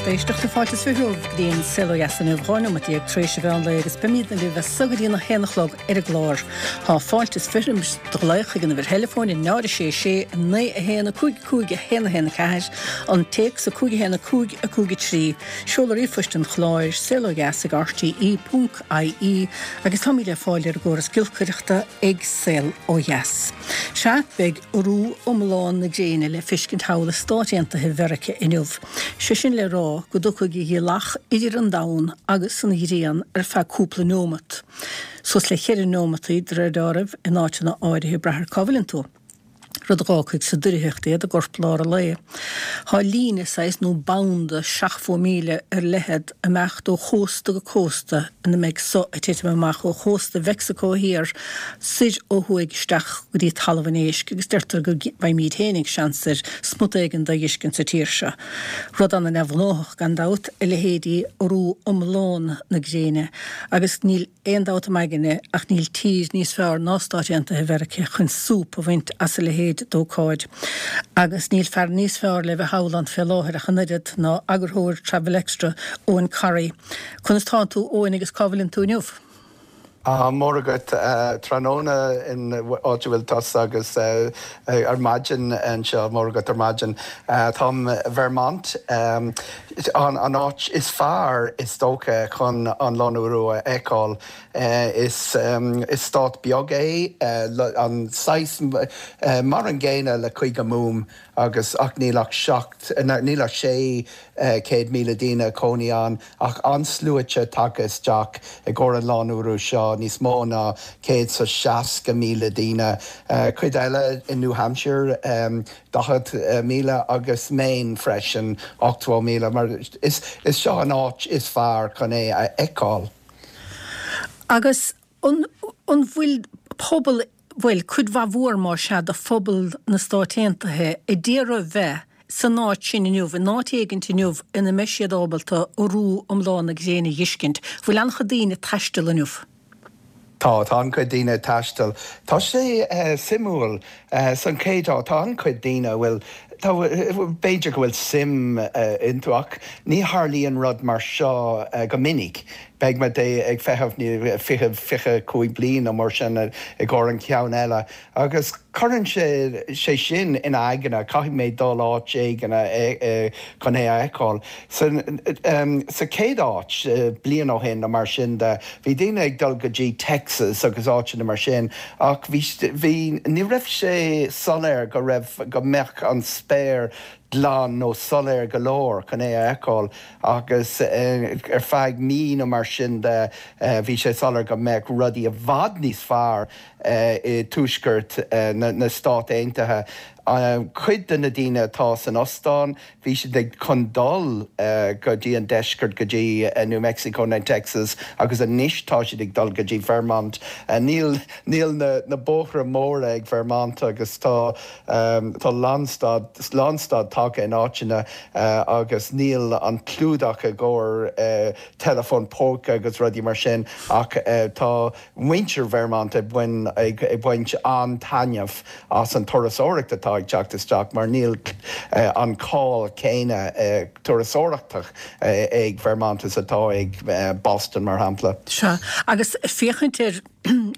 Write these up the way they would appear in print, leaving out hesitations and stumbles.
Lucht éisteachta, fáilte is 20 romhaibh go dtí an Saol Ó Dheas inniu, 12 nóimeat tar éis an mheán lae agus beimidne libh as so go dtí an 1 a chlog ar an gclár. Tá fáilte is 20 roimh do ghlaoch chuig an uimhir theileafóin 0 6 6 9 1 5 5 1 1 4, an téacs 5 1 5 5 3, seoladh ríomhphoist an chláir, saolodheas ag rte ponc ie agus táimid le fáil ar an gcóras giolcaireachta ag Saol Ó Dheas. Sea, beidh urú iomlán na gréine le feiscint thall i Stáit Aontaithe Mheirice inniu. Sé sin le rá go dtiocfaidh ghiallach idir an domhan agus an ghrian ar feadh cúpla neomat. Suas le cheithre neomataí, de réir deáraimh, in áiteanna áirithe, ag brath ar cá bhfuileann tú. Rud a dh'fhágfaidh sa doircheacht iad i gcorplár an lae. Thá líne, saghas, nó banda seachtmhó míle ar leithead ag imeacht ó chósta go cósta ina mbeidh so ag titim amach ó chósta Mheicsiceo thiar soir ó thuaidh isteach go dtí Talamh an Éisc agus deirtear go bhfaighimíd fhéinig seans ar smut éigin de a dh'fheiscint sa tír seo. Rud ana-neamhghnóthach, gan dabht, a leithéidí urú iomlán na gréine agus níl aon dabht im aigne ach níl tír níos fearr ná Stáit Aontaithe Mheirice chun súp a bhaint as a leithéid d'ócáid. Agus níl fear níos fearr le bheith thall ann fé láthair ach an oiread ná eagarthóir Travel Extra, Eoghan Corry. Conas tánn tú, Eoghain, agus cá bhfuileann tú inniu? Tá mór agat. Tráthnóna in áit a bhfuil tusa agus ar maidin anseo, mór agat ar maidin. Táim i Vermont. An áit is fearr, is dócha, chun an lánurú a fheiceáil. Is stát beag é, an saghas mar an gcéanna le Cúige Mumhan agus ach níl ach 7, níl ach 600,000 daoine ag cónaí ann ach an-sluaite tagtha isteach i gcomhair an lánurú seo, níos mó ná 160,000 daoine. Cuid eile i New Hampshire. 40,000 agus Maine freisin, 80,000, mar is seo an áit is fearr chun é a fheiceáil. Agus an bhfuil pobal, bhuel, cuid mhaith mhór más ea de phobal na Stáit Aontaithe a d'iarraidh bheith san áit sin inniu, in áit éigint inniu ina mbeidh siad ábalta urú iomlán na gréine a dh'fheiscint? Bhfuil an-chuid daoine ag taisteal inniu? Tá, tá an-chuid daoine ag taisteal. Tá sé suimiúil. San chéad áit, tá an-chuid daoine a bhfuil, tá, b'fhéidir go bhfuil suim iontu ach ní tharlaíonn rud mar seo go minic. Beidh muid ag feitheamh 20, 25 bliain nó mar sin i gcomhair an ceann eile agus cuireann sé sé sin ina aigne, caithfidh mé dul áit éigin chun é a fheiceáil. Sa chéad áit, bliain ó shin nó mar sin de, bhí daoine ag dul go dtí Texas agus áiteanna mar sin ach bhí, bhí, ní raibh sé soiléir go raibh, go mbeadh an spéir glan nó soiléir go leor chun é a fheiceáil agus ar feadh mí nó mar sin de bhí sé soiléir go mbeadh rudaí i bhfad níos fearr i dtuaisceart na Stát Aontaithe. Cuid de na daoine atá san ostán, bhí siad ag chun dul go dtí an deisceart, go dtí New Mexico nó Texas agus anois tá siad ag dul go dtí Vermont. Níl níl na na bóithre móra ag Vermont agus tá tá lánstad lánstad tagtha in áiteanna agus níl an clúdach i gcomhair teileafón póca agus rudaí mar sin ach tá muintir Vermont ag baint an-taitneamh as an turasóireacht atá ag teacht isteach mar níl an cáil céanna turasóireachtach ag Vermont is atá ag Boston mar shampla. Sea, agus féachaint ar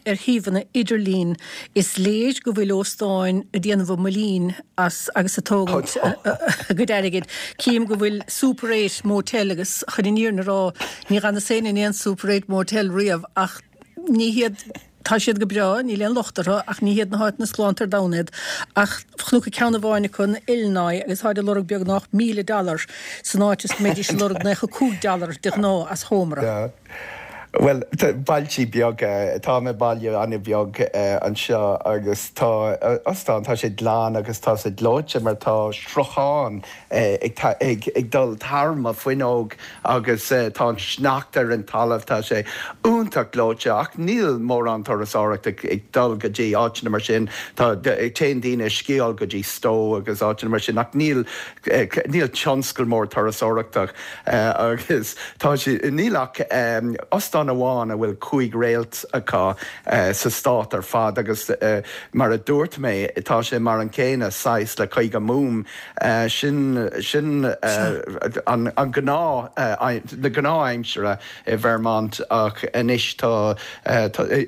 ar shuíomhanna idirlín is léir go bhfuil óstáin ag déanamh a mbuilín as agus ag tógaint a gcuid airgid. Cím go bhfuil Super Eight Motel agus chun an fhírinne a rá ní dh'fhanas féin in aon Super Eight Motel riamh ach ní hiad, tá siad go breá, níl aon locht orthu ach ní hiad na háiteanna is galánta ar domhan iad. Ach chonac ceann amháin acu in Illinois agus táid ag lorg beagnach 1,000 dollar san áit is go mbeidís ag lorg 95 dollar de ghnáth as seomra. Bhuel, bailtí beaga, táim i baile an-bheag anseo agus tá ostán, tá sé glan agus tá sé gleoite mar tá sruthán ag dul thar mo fuinneog agus tá an sneachta ar an talamh, tá sé iontach gleoite ach níl mórán turasóireacht ag dul go dtí áiteanna mar sin, tá, téann daoine ag sciáil go dtí Stowe agus áiteanna mar sin ach níl, níl tionscal mór turasóireachta. Agus tá sé, níl ach ostán. ceann amháin a bhfuil 5 réalt acu sa stát ar fad agus mar a dúirt mé tá sé mar an céanna saghas le Cúige Mumhan. Sin sin an gnáth na gnáth-aimsire i Vermont ach anois tá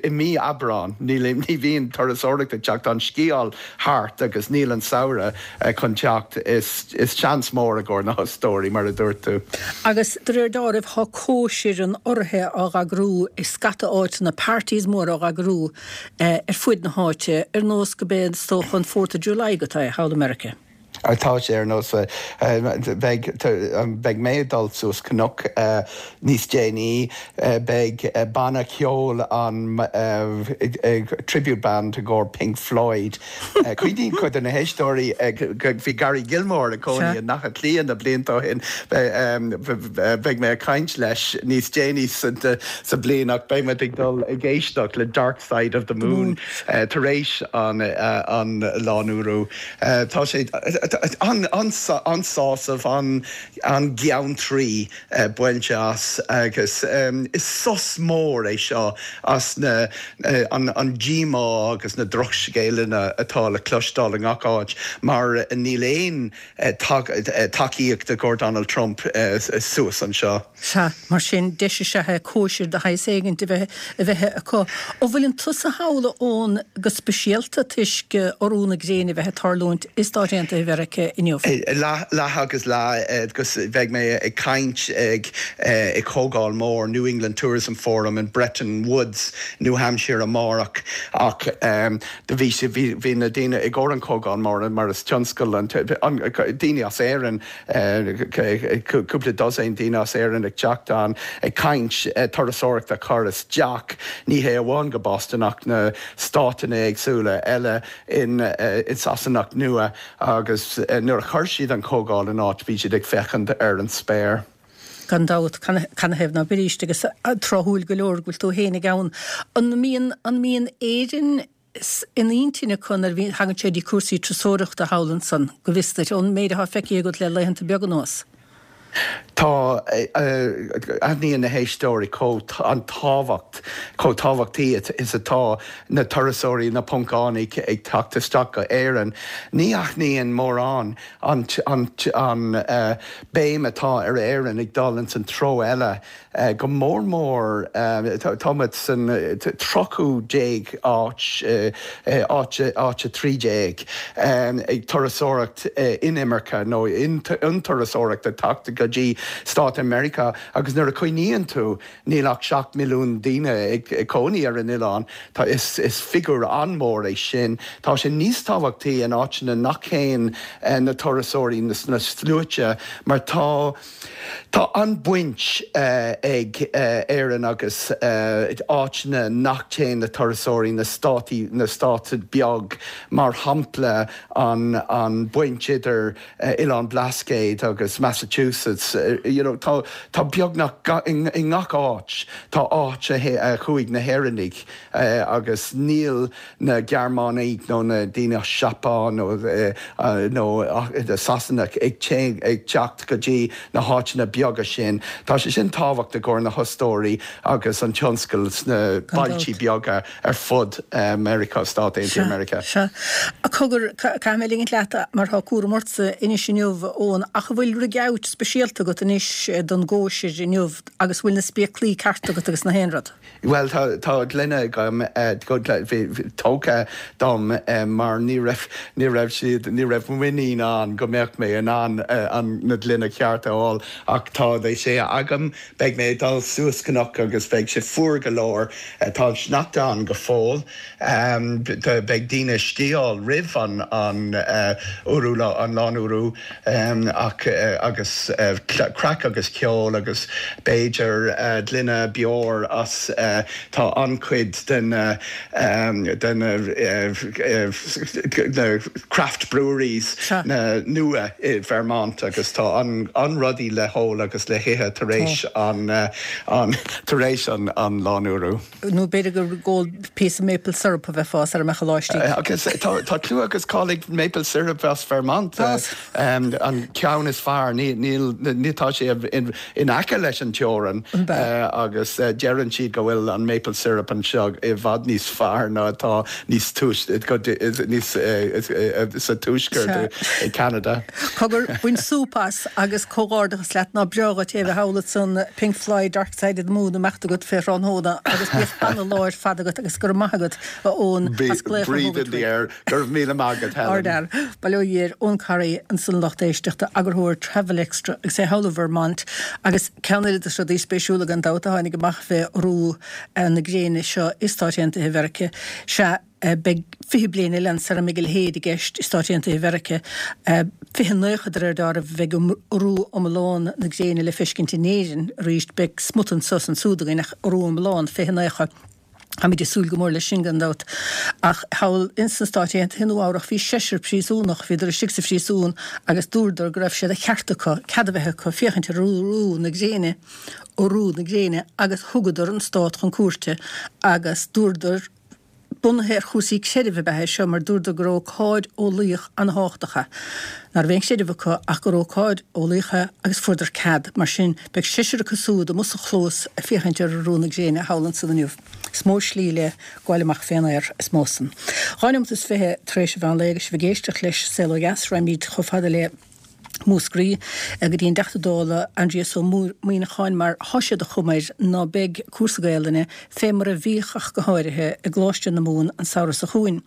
i mí Aibreán níl ní bhíonn turasóireacht ag teacht, tá an sciáil thart agus níl an samhradh chun teacht. Is seans mór i gcomhair na hostóirí, mar a dúirt tú. Agus de réir dealraimh tá cóisir an urraithe á eagrú i scata áiteanna, parties móra á eagrú ar fuaid na háite, ar nós go b'é is dócha an Fourth of July atá é thall i Meiriceá. Tá sé ar nós, beidh, beidh mé ag dul suas cnoc níos déanaí, beidh banna ceoil an tribute band i gcomhair Pink Floyd. Cuimhníonn cuid de na héisteoirí bhí Gary Gilmore ag cónaí i nDath Cliath na blianta ó shin. Beidh mé ag caint leis níos déanaí sa bliain ach beidh muid ag dul ag éisteacht le Dark Side of the Moon tar éis an lánurú. Tá sé an-sásamh, an-gheantraí bainte as agus is sos mór é seo as na an díomá agus na drochscéalanna atá le cloisteáil i ngach áit mar níl aon tacaíocht i gcomhair Donald Trump suas anseo. Sea, mar sin, deis is ea é cóisir de shaghas éigint a bheith a bheith acu. An bhfuileann tusa thall, a Eoin, go speisialta toisc urú na gréine a bheith ag tarlúint i Stáit Aontaithe Mheiriceá inniu? Leath, leath agus leath, agus beidh mé ag caint ag ag comhdháil mór New England Tourism Forum in Bretton Woods, New Hampshire amárach ach do bhí sé, bhí, bhí na daoine i gcomhair an comhdháil mór mar is tionscal an, an, daoine as Éirinn, cúpla dosaen daoine as Éirinn ag teacht ann ag caint turasóireacht a chur isteach, ní hé amháin go Boston ach na stáiteanna éagsúla eile in Sasanach Nua agus nuair a chuir siad an chomhdháil in áit bhí siad ag féachaint ar an spéir. Gan dabht, canathaobh ná beidís agus tráthúil go leor go bhfuil tú fhéinig ann. An mbíonn, an mbíonn Éirinn in intinn acu nuair a thagann sé dtí cúrsaí turasóireachta thall ansan, go bhfios duit, ón méid atá feicthe agat le laethanta beaga anuas? Tá, aithníonn na héisteoirí chomh an tábhacht, chomh tábhachtaí is atá na turasóirí, na Poncánaigh ag teacht isteach go Éirinn. Ní aithníonn mórán an an an béim atá ar Éirinn ag dul ins an treo eile. Go mór mór, tá muid san 13ú áit, áit áit 13, ag turasóireacht inimirce nó an turasóireacht ag teacht go dtí Stáit Meiriceá agus nuair a chuimhníonn tú níl ach 7 milliún daoine ag cónaí ar an oileán, tá is is figiúr an-mhór é sin. Tá sé níos tábhachtaí in áiteanna nach théann na turasóirí sna sluaite mar tá Tá an-bhaint ag Éirinn agus áiteanna nach dtéann na turasóirí, na státaí, na stáit beag, mar shampla an an baint idir Oileán Blascaod agus Massachusetts, you know tá tá beagnach i ngach áit tá áit a chuaigh na hÉireannaigh agus níl na Gearmánaigh nó na daoine as Seapáin nó nó Sasanach ag ag teacht go dtí na háiteanna beaga sin. Tá sé sin tábhacht i gcomhair na hostóirí agus an tionscal sna bailtí beaga ar fud Meiriceá, Stát Aontaithe Meiriceá. Sea. Cogar, caithfidh mé ligint leat mar tá cúram ortsa anois inniu, a Eoin, ach an bhfuil rig out speisialta agat anois don gcóisir inniu agus an bhfuil na spéaclaí cearta agat agus na haon rud? Bhuel, tá, tá gloine agam, tógtha dom mar ní raibh, ní raibh siad, ní raibh muinín ann go mbeadh mé in ann an, na gloine ceart a fháil ach tá sé agam. Beidh mé ag dul suas cnoc agus beidh sé fuar go leor. Tá an sneachta ann go fóill. Beidh daoine ag sciáil roimh an, an urú, an lánurú. Ach agus craic agus ceol agus b'fhéidir gloine beoir as tá an-chuid de na de na na craft breweries na nua i Vermont agus tá an-rudaí le hól agus le hithe tar éis an tar éis an an lánurú. Nó b'fhéidir gur ag ól píosa maple syrup a bheifeá sara mbeadh an lá istigh. Agus tá clú agus cáil ag maple syrup as Vermont. An ceann is fearr, níl. ní tá sé in aice leis an teorainn agus deireann siad go bhfuil an maple syrup anseo i bhfad níos fearr ná atá níos níos sa tuaisceart i Canada. Cogar, bain súp as agus comhghairdeachas leat, ná breá dhuit é a bheith thall ansan Pink Floyd, Dark Side of the Moon ag imeacht agat fé thráthnóna agus bíodh ana-lá ar fad agat agus go raibh maith agat a Eoin as glaoch a Breathe in the air. Go raibh míle maith agat, Helen. Ardfhear. Bail ó Dhia air. Eoin Corry ansan lucht éisteachta, eagarthóir Travel Extra agus é thall i Vermont. Agus ceann eile de na rudaí spéisiúla gan dabht a tháinig amach fé urú na gréine seo i Stáit Aontaithe Mheirice, sea, beidh 20 bliain eile ann sara mbeidh a leithéid i gceist i Stáit Aontaithe Mheirice. 2090 de réir dealraimh a bheidh urú iomlán na gréine le feiscint in Éirinn arís. Beidh smut anso is ansúd againn ach urú iomlán, 2090. Táimid ag súil go mór leis sin, gan dabht. Ach thall ins na Stáit Aontaithe, Nua Eabhrach, bhí seisear príosúnach, bhíodar istigh sa phríosún agus dúradar go raibh sé de cheart acu, cead a bheith acu féachaint ar urú na gréine, urú na gréine, agus thugadar an stát chun cúirte agus dúradar, bunaithe ar chúrsaí creidimh ab ea é seo mar dúradar gur ócáid eolaíoch an-thábhachtach é, ná raibh aon chreideamh acu ach gur ócáid eolaíoch é agus fuaireadar cead. Mar sin, beidh seisear acu súd amuigh sa chlós ag féachaint ar urú na gréine thall ansan inniu. Is mó slí le gabháil amach fén aer, is mó san. 2 neomat is 20 tar éis an mheán lae agus sibh ag éisteacht leis Saol Ó Dheas, raghaimid chomh fada le. Múscraí go dtí an dTeachta Dála Aindrias Ó Muimhneacháin mar thá sé de chuma air ná beidh cúrsa Gaelainne fé mar a bhíodh ach go háirithe i gColáiste na Mumhan an samhradh so chugainn.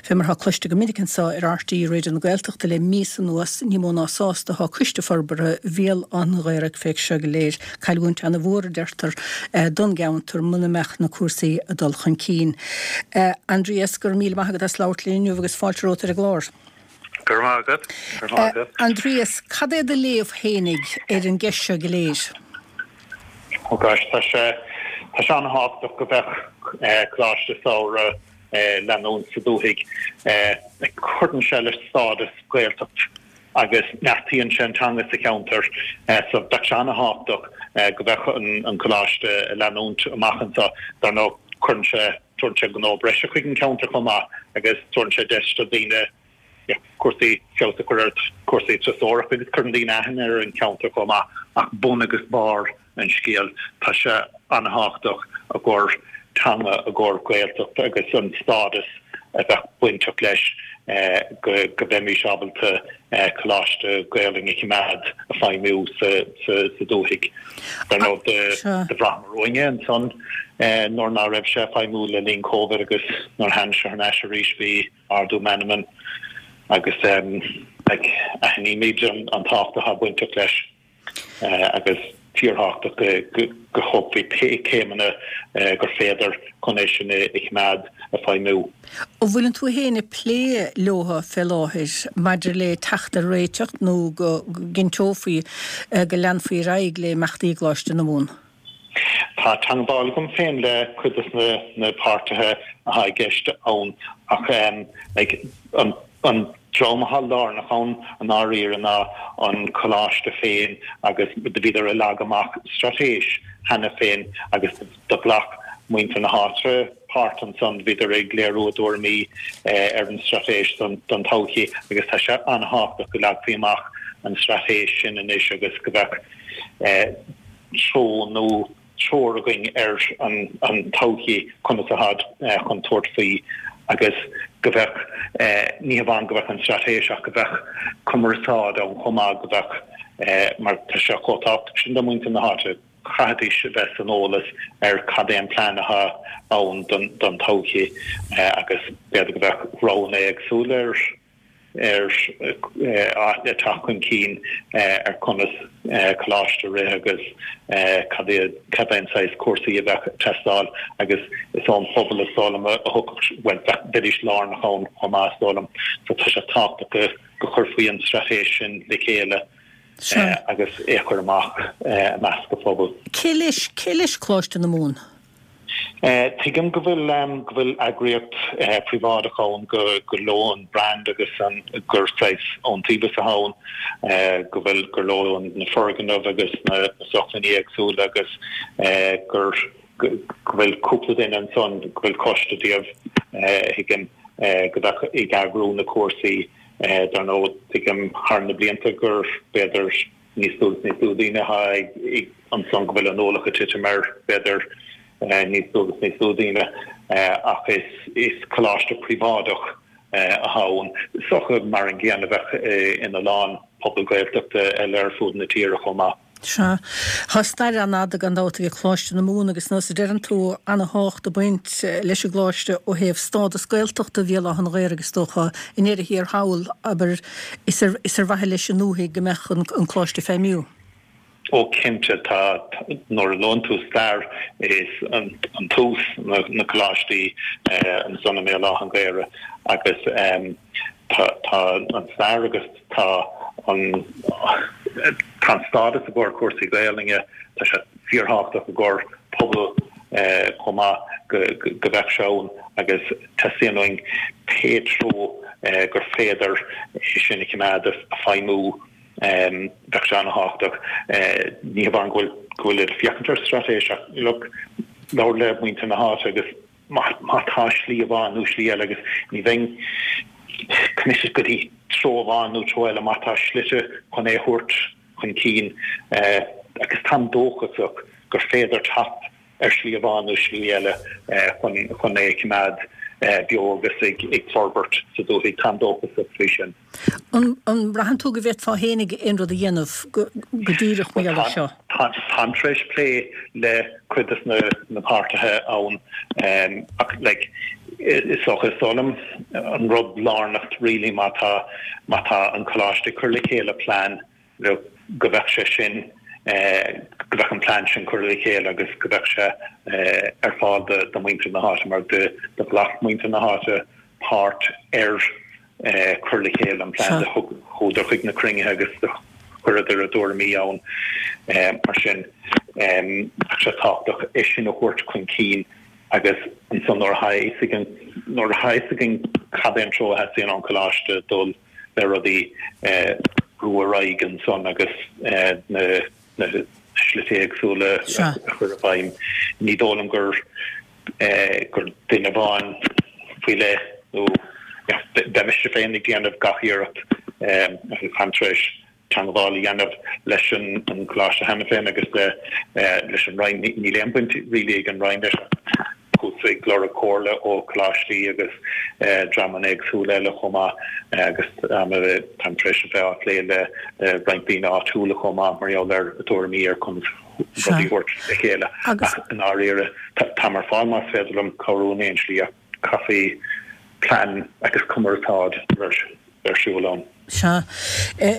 Fé mar thá cloiste go minic anso ar RTÉ Raidió na Gaeltachta le míosa anuas ní mó ná sásta thá Coiste Forbartha Bhéal Átha an Ghaorthaidh fé seo go léir. Cailliúint ana mhór a deirtear don gceantar muna mbeadh na cúrsaí ag dul chun cinn. Aindrias, go raibh míle maith agat as labhairt linn inniu agus fáilte romhat ar an gclár. Go raibh maith agat. Go raibh maith agat. Aindrias, cad é do léamh fhéinig ar an gceist seo go léir? Oh gosh, tá sé, tá sé an-thábhachtach go mbeadh coláiste samhraidh leanúint sa dúthaigh. Cuireann sé le stádas Gaeltacht agus neartaíonn sé an teanga sa cheantar. So bheadh sé an-thábhachtach go mbeadh an coláiste ag leanúint amach anseo. Dar ndóigh, cuireann sé Tabharann sé gnó breise chuig an cheantar chomh maith agus tabharann sé deis do dhaoine cúrsaí feabhas a chur ar chúrsaí turasóireachta agus cuireann daoine aithne ar an cheantar chomh maith ach bun agus barr an scéil tá sé an-thábhachtach i gcomhair teanga, i gcomhair Gaeltacht agus an stádas a bheadh bainteach leis go mbeimis ábalta Coláiste Gaelainne a choimeád ag feidhmiú sa dúthaigh. Dar ndóigh, do bhraitheamar uainn é ansan nuair ná raibh sé ag feidhmiú le linn Covid agus nuair a tháinig sé thar n-ais arís bhí ardú meanman agus aithnímid an tábhacht atá bainteach leis. agus fíorthábhachtach go dtógfaí pé céimeanna gur féidir chun é sin a choimeád ag feidhmiú. An bhfuileann tú féin ag plé leo fé láthair maidir le teacht ar réiteach nó go gcinnteofaí go leanfaí ar aghaidh le imeachtaí i gColáiste na Mumhan? Tá teangmháil agam féin le cuid de na páirtithe atá i gceist ann ach like an an dream atá lárnach ann i ndáiríre ná an coláiste féin agus do bhíodar ag leagadh amach straitéis cheana féin agus do ghlac muintir na háite páirt ansan, bhíodar ag léiriú a dtuairimí ar an straitéis don todhchaí agus tá sé an-thábhachtach go leagfaí amach an straitéis sin anois agus go mbeadh treo nó treoir againn ar an todhchaí, conas atáid chun tabhairt faoi agus go mbeadh, ní hamháin go mbeadh an straitéis ach go mbeadh cumarsáid ann chomh maith, go mbeadh, mar tá sé chomh tábhachtach sin do mhuintir na háite, chaithfidís a bheith san eolas ar cad é an plean atá ann don todhchaí agus b'fhéidir go mbeadh roghanna éagsúla ar ar le teacht chun cinn ar conas coláiste a rith agus cad é cad é an saghas cúrsaí a bheadh ag teastáil agus is ón phobal is dóigh liom a thiocfadh, bhuel bheidís lárnach ann chomh maith is dóigh liom. So tá sé tábhachtach go go chuirfí an straitéis sin le chéile agus é a chur amach i measc an phobail. Cé leis, cé leis Coláiste na Mumhan? Tuigim go bhfuil go bhfuil eagraíocht phríobháideach ann go gur leo an brand agus an gur saghas iontaobhas atá ann, go bhfuil gur leo na foirgnimh agus na sócmhainní éagsúla agus gur go bhfuil cúpla duine ansan, go bhfuil coiste díobh, thuigim, go bheadh ag eagrú na cúrsaí. Dar ndóigh, tuigim thar na blianta gur b'fhéidir. níos lú agus níos lú daoine atá ag ansan go bhfuil an ualach ag titim ar b'fhéidir níos lú agus níos lú daoine ach is coláiste príobháideach atá ann. Is dócha mar an gcéanna a bheadh ina lán pobal Gaeltachta eile ar fud na tíre chomh maith. Sea. Tá stair an-fhada gan dabht ag Coláiste na Mumhan agus nós a deireann tú, ana-thábhacht ag baint leis an gcoláiste ó thaobh stádas Gaeltachta Bhéal Átha an Ghaorthaidh is dócha i ndeireadh thiar thall, abair, is ar is ar mhaithe leis an ndúthaigh go mbeadh an an coláiste ag feidhmiú. Ó cinnte, tá, nuair a luann tú stair is an an tús na na coláistí ansan i mBéal Átha an Ghaorthaidh agus tá tá an stair agus tá an tá an stádas i gcomhair cúrsaí Gaelainne, tá sé fíorthábhachtach i gcomhair pobal chomh maith go go mbeadh sé ann agus teastaíonn uainn pé treo gur féidir é sin a choimeád ag feidhmiú bheadh sé an-thábhachtach. Ní hamháin go bhfuil go bhfuil ag féachaint ar straitéis ach look labhair le muintir na háite agus má tá slí amháin nó slí eile agus ní bheinn committed go dtí treo amháin nó treo eile má tá slite chun é a thabhairt chun cinn agus táim dóchasach gur féidir teacht ar shlí amháin nó slí eile chun chun é a choimeád beo agus ag ag forbairt sa dúthaigh. Táim dóchasach faoi sin. An mbraitheann tú go bhféadfá fhéinig aon rud a dhéanamh go díreach mar gheall air seo? Táim tar éis plé le cuid de na páirtithe ann ach like is dócha is dóigh liom an rud lárnach really má tá má tá an coláiste ag cur le chéile plean go mbeadh sé sin go mbeadh an plean sin curtha le chéile agus go mbeadh sé ar fáil do mhuintir na háite mar do ghlac muintir na háite páirt ar cur le chéile an plean do chuadar chuig na cruinnithe agus do chuireadar a dtuairimí ann. Mar sin tá sé tábhachtach é sin a thabhairt chun cinn agus ansan nuair atá a fhios againn nuair atá a fhios againn cad é an treo a theastaíonn ón choláiste dul le rudaí brú ar aghaidh ansan agus na na slite éagsúla a chur i bhfeidhm. Ní dóigh liom gur gur duine amháin faoi leith nó beidh mise féin ag déanamh gach iarracht agus táim tar éis teangmháil a dhéanamh leis an gcoláiste cheana féin agus leis an Roinn. Níl aon bhaint really ag an Roinn leis ach chuas ag lorg comhairle ó choláistí agus dreamanna éagsúla eile chomh maith agus táim tar éis a bheith á phlé le roinnt daoine áitiúla chomh maith mar gheall ar a dtuairimí ar conas rudaí a thabhairt le chéile. Ach i ndáiríre, táim ar fáil más féidir liom cabhrú in aon slí ach caithfidh plean agus cumarsáid ar siúl ann. Sea.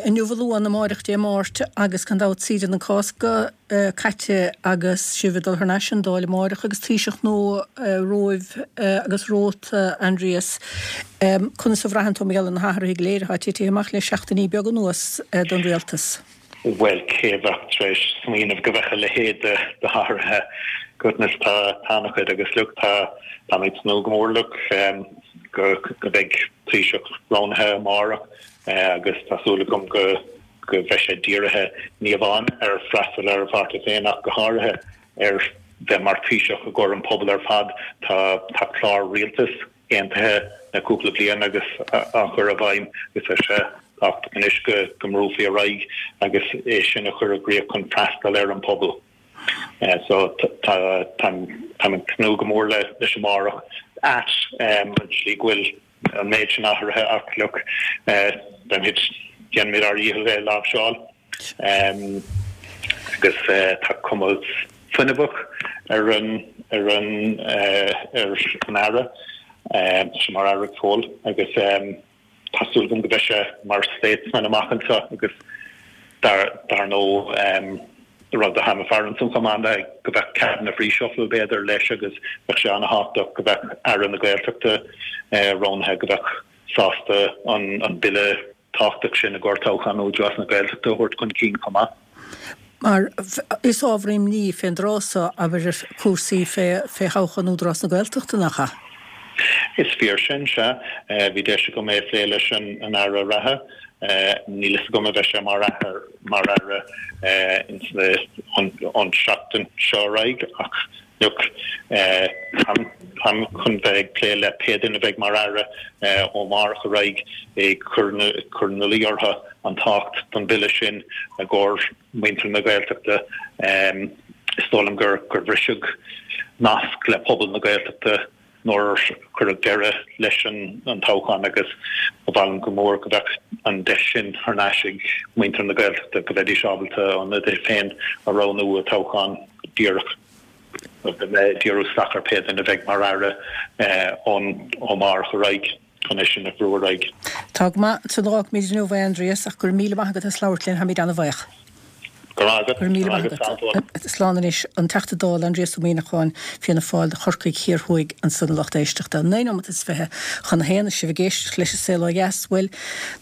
Inniu a Luan, amáireach Dé Máirt agus gan dabht saoire na Cásca caite agus sibh ag dul thar n-ais an Dáil amáireach agus Taoiseach nua romhaibh agus romhat, Aindrias. Conas a bhraitheann tú mar gheall ar na hathruithe go léir atá titithe amach le seachtainí beaga anuas don rialtas? Bhuel, cé a bheadh tar éis smaoineamh go mbeadh a leithéid de hathruithe? Goodness, tá an-chuid agus look, tá, táim ag tnúth go mór, look, go, go mbeidh Taoiseach roghnaithe amárach agus tá súil agam go, go mbeidh sé dírithe ní amháin ar freastal ar a pháirtí féin ach go háirithe ar bheith mar Thaoiseach i gcomhair an pobal ar fad. Tá, tá clár rialtais aontaithe le cúpla bliain agus á chur i bhfeidhm agus tá sé tábhachtach anois go mbrúfaí ar aghaidh agus é sin a chur i gcrích chun freastal ar an pobal. So táim ag tnúth go mór leis amárach at an tslí go bhfuil an méid sin athruithe ach look beimid déanfaimid ár dhícheall é a láimhseáil. Agus tá cuma fuinneamhach ar an ar an ar an Aire, tá sé mar Aire go fóill agus tá súil agam go mbeidh sé mar statesman amach anseo agus dar dar ndóigh rud atá ag faire ansan chomh maith ná go mbeadh cabinet reshuffle b'fhéidir leis agus bheadh sé an-thábhachtach go mbeadh Aire na Gaeltachta roghnaithe go mbeadh sásta an an bille tábhachtach sin i gcomhair toghchán Údarás na Gaeltachta a thabhairt chun cinn chomh maith. Mar is ábhar imní fén dtráth so, abair, cúrsaí fé thoghchán Údarás na Gaeltachta, nach ea? Is fíor sin, sea. Bhí deis agam é a phlé leis an Aire reatha. Níl fhios agam an mbeidh sé mar mar Aire ins na, ón seachtain seo ar aghaidh ach. Look, táim chun bheith ag plé le pé duine a bheidh mar Aire ó amárach ar aghaidh ag cur ina luí orthu an tábhacht don bhille sin i gcomhair muintir na Gaeltachta. Is dóigh liom gur bhriseadh nasc le pobal na Gaeltachta nuair a cuireadh deireadh leis an toghchán agus ba mhaith liom go mór go mbeadh an deis sin thar n-ais ag muintir na Gaeltachta, go mbeidís ábalta a n-ionadaithe féin a roghnú i dtoghchán díreach. Beidh mé ag díriú isteach ar pé duine a bheidh mar Aire ó amárach ar aghaidh chun é sin a bhrú ar aghaidh. Tá go maith. Ansan a fhágfaimid inniu é, Aindrias, ach go raibh míle maith agat as labhairt linn, táimid an-bhuíoch. Go raibh maith agat. Go raibh míle maith agat. Slán anois. An Teachta Dála Aindrias Ó Muimhneacháin, Fianna Fáil do Chorcaigh Thiar Thuaidh ansan a lucht éisteachta. 9 nóimeat is 20 chun a haon is sibh ag éisteacht leis an Saol Ó Dheas. Bhuel,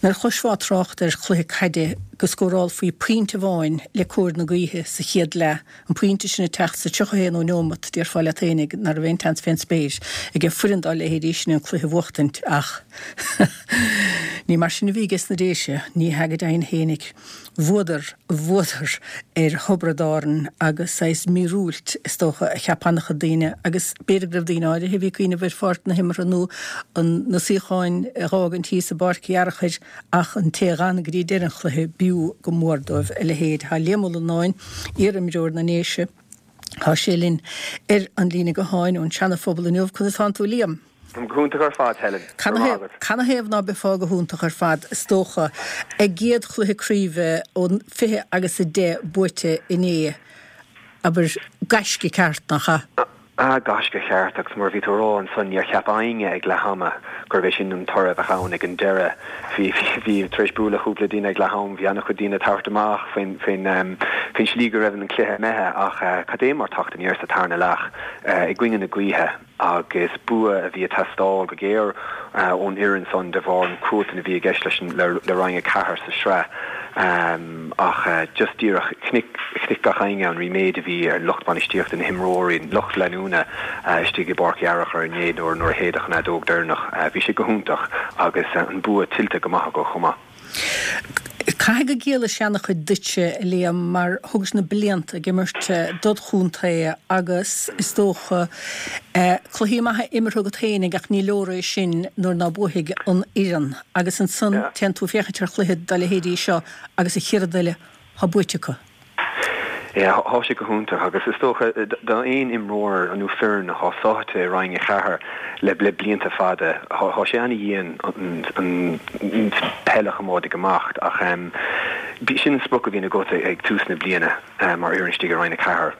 nuair a chloisfeá trácht ar chluiche caide go scórálfaí pointe amháin le cóir na gaoithe sa chéad leath, An pointe sin ag teacht sa 31ú neomat, déarfá leat fhéinig ná raibh aon tseans fén spéir ag foireann dá leithéidí sin an cluiche a bhuachtaint ach ní mar sin a bhí ages na Déise, ní hea go deimhin fhéinig. Bhuadar, bhuadar ar Thiobraid Árann agus saghas míorúilt is dócha a cheap an-chuid daoine agus b'fhéidir go raibh daoine áirithe a bhí ag cuimhneamh ar pháirc na himeartha nó na suíocháin a dh'fhágaint thíos i bPáirc Uí Fhearchair Ach an té a dh'fhan go dtí deireadh an chluiche, b'fhiú go mór dóibh a leithéid. Tá Liam Ó Lonáin, iar-imreoir na nDéise, tá sé linn ar an líne gutháin ón Seana-Phobal inniu. Conas tánn tú, Liam? Táim go hiontach ar fad, Helen. Go raibh maith agat. Canathaobh ná beifeá go hiontach ar fad, is dócha. A gcéad chluiche craoibhe ó 20 agus 10 buaite inné. Abair, gaisce ceart, nach ea? Ah, gaisce cheart, agus mar a bhí tú a rá ansan, níor cheap éinne ag leath ama gurbh é sin an toradh a bheadh ann ag an deireadh. Bhí, bhí, tar éis bualadh le cúpla duine ag leath am, bhí an-chuid daoine ag tabhairt amach faoin, faoin, faoin slí go raibh an cluiche imithe ach cad é mar teacht aniar sa tarna leath i gcoinne na gaoithe agus bua a bhí ag teastáil go géar ón fhoireann san de bharr an cruatan a bhí i gceist leis an, le, le Roinn 4 sa sraith. Ach just díreach, chonaic, chonaic gach éinne an ríméad a bhí ar lucht bainistíochta, na himreoirí, an lucht leanúna istigh i bPáirc Uí Fhearchair inné nuair, nuair a shéideadh an fheadóg deireanach. Bhí sé go hiontach agus an bua tuillte go maith acu chomh maith. Caithfidh go gciallaigh sé ana-chuid duitse, a Liam, mar thugais na blianta ag imirt dod chontae agus is dócha cluichí maithe imeartha agat féinig ach ní leor é sin nuair ná buafaidh an fhoireann. Agus ansan téann tú féachaint ar chluiche dá leithéidí seo agus an chéad rud eile, thá buaite acu. Yeah, thá sé go hiontach agus is dócha d'aon imreoir nó foireann athá sáite i Roinn 4 le le blianta fada, thá sé ana-dhian an peil a choimeád ag imeacht ach sin an sprioc a bhíonn agat ag tús na bliana mar fhoireann istigh i Roinn 4,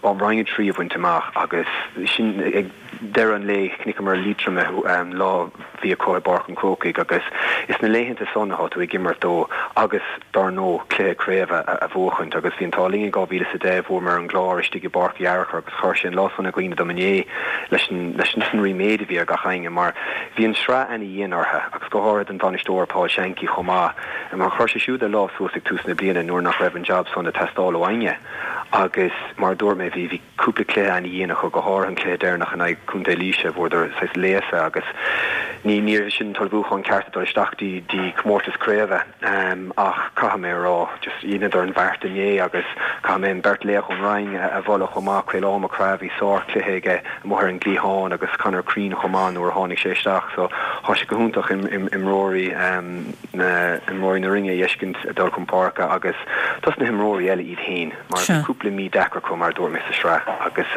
Roinn 3 a bhaint amach agus sin ag deireadh an lae chonaiceamar Liatroim an lá a bhí acu i bPáirc an Chrócaigh agus is na laethanta san athá tú ag imirt dó agus dár ndóigh cluiche craoibhe a bhuachaint agus bhí an t-ádh linn in 2010 bhuamar an gClár istigh i bPáirc Uí Fhearchair agus chuir sé an lá san i gcuimhne dom inné leis an leis an ríméad a bhí ar gach éinne mar bhí an sraith ana-dhian orthu agus go háirithe don bhainisteoir Paul Shankey chomh maith mar chuir sé siúd a lámh suas ag tús na bliana nuair nach raibh an jab san ag teastáil ó éinne agus mar a dúirt mé bhí bhí cúpla cluiche ana-dhian acu, go háirithe an cluiche deireanach in aghaidh Contae Laoise, bhuadar saghas léasadh agus ní ní raibh sin an t-ullmhúchán ceart ag dul isteach dtí dtí comórtas craoibhe. Ach caithfidh mé a rá, just dheineadar an bheart inné agus caithfidh mé an beirt laoch ón Rinn a mholadh chomh maith, Caolán Mac Craith, bhí sár-chluiche aige amuigh ar an gcliathán agus Conor Crean chomh maith nuair a tháinig sé isteach so thá sé go hiontach imreoirí na imreoirí na Rinne a fheiscint ag dul chun páirce agus dos na himreoirí eile iad féin. Mar bhí cúpla mí deacair acu, mar a dúirt mé, sa sraith agus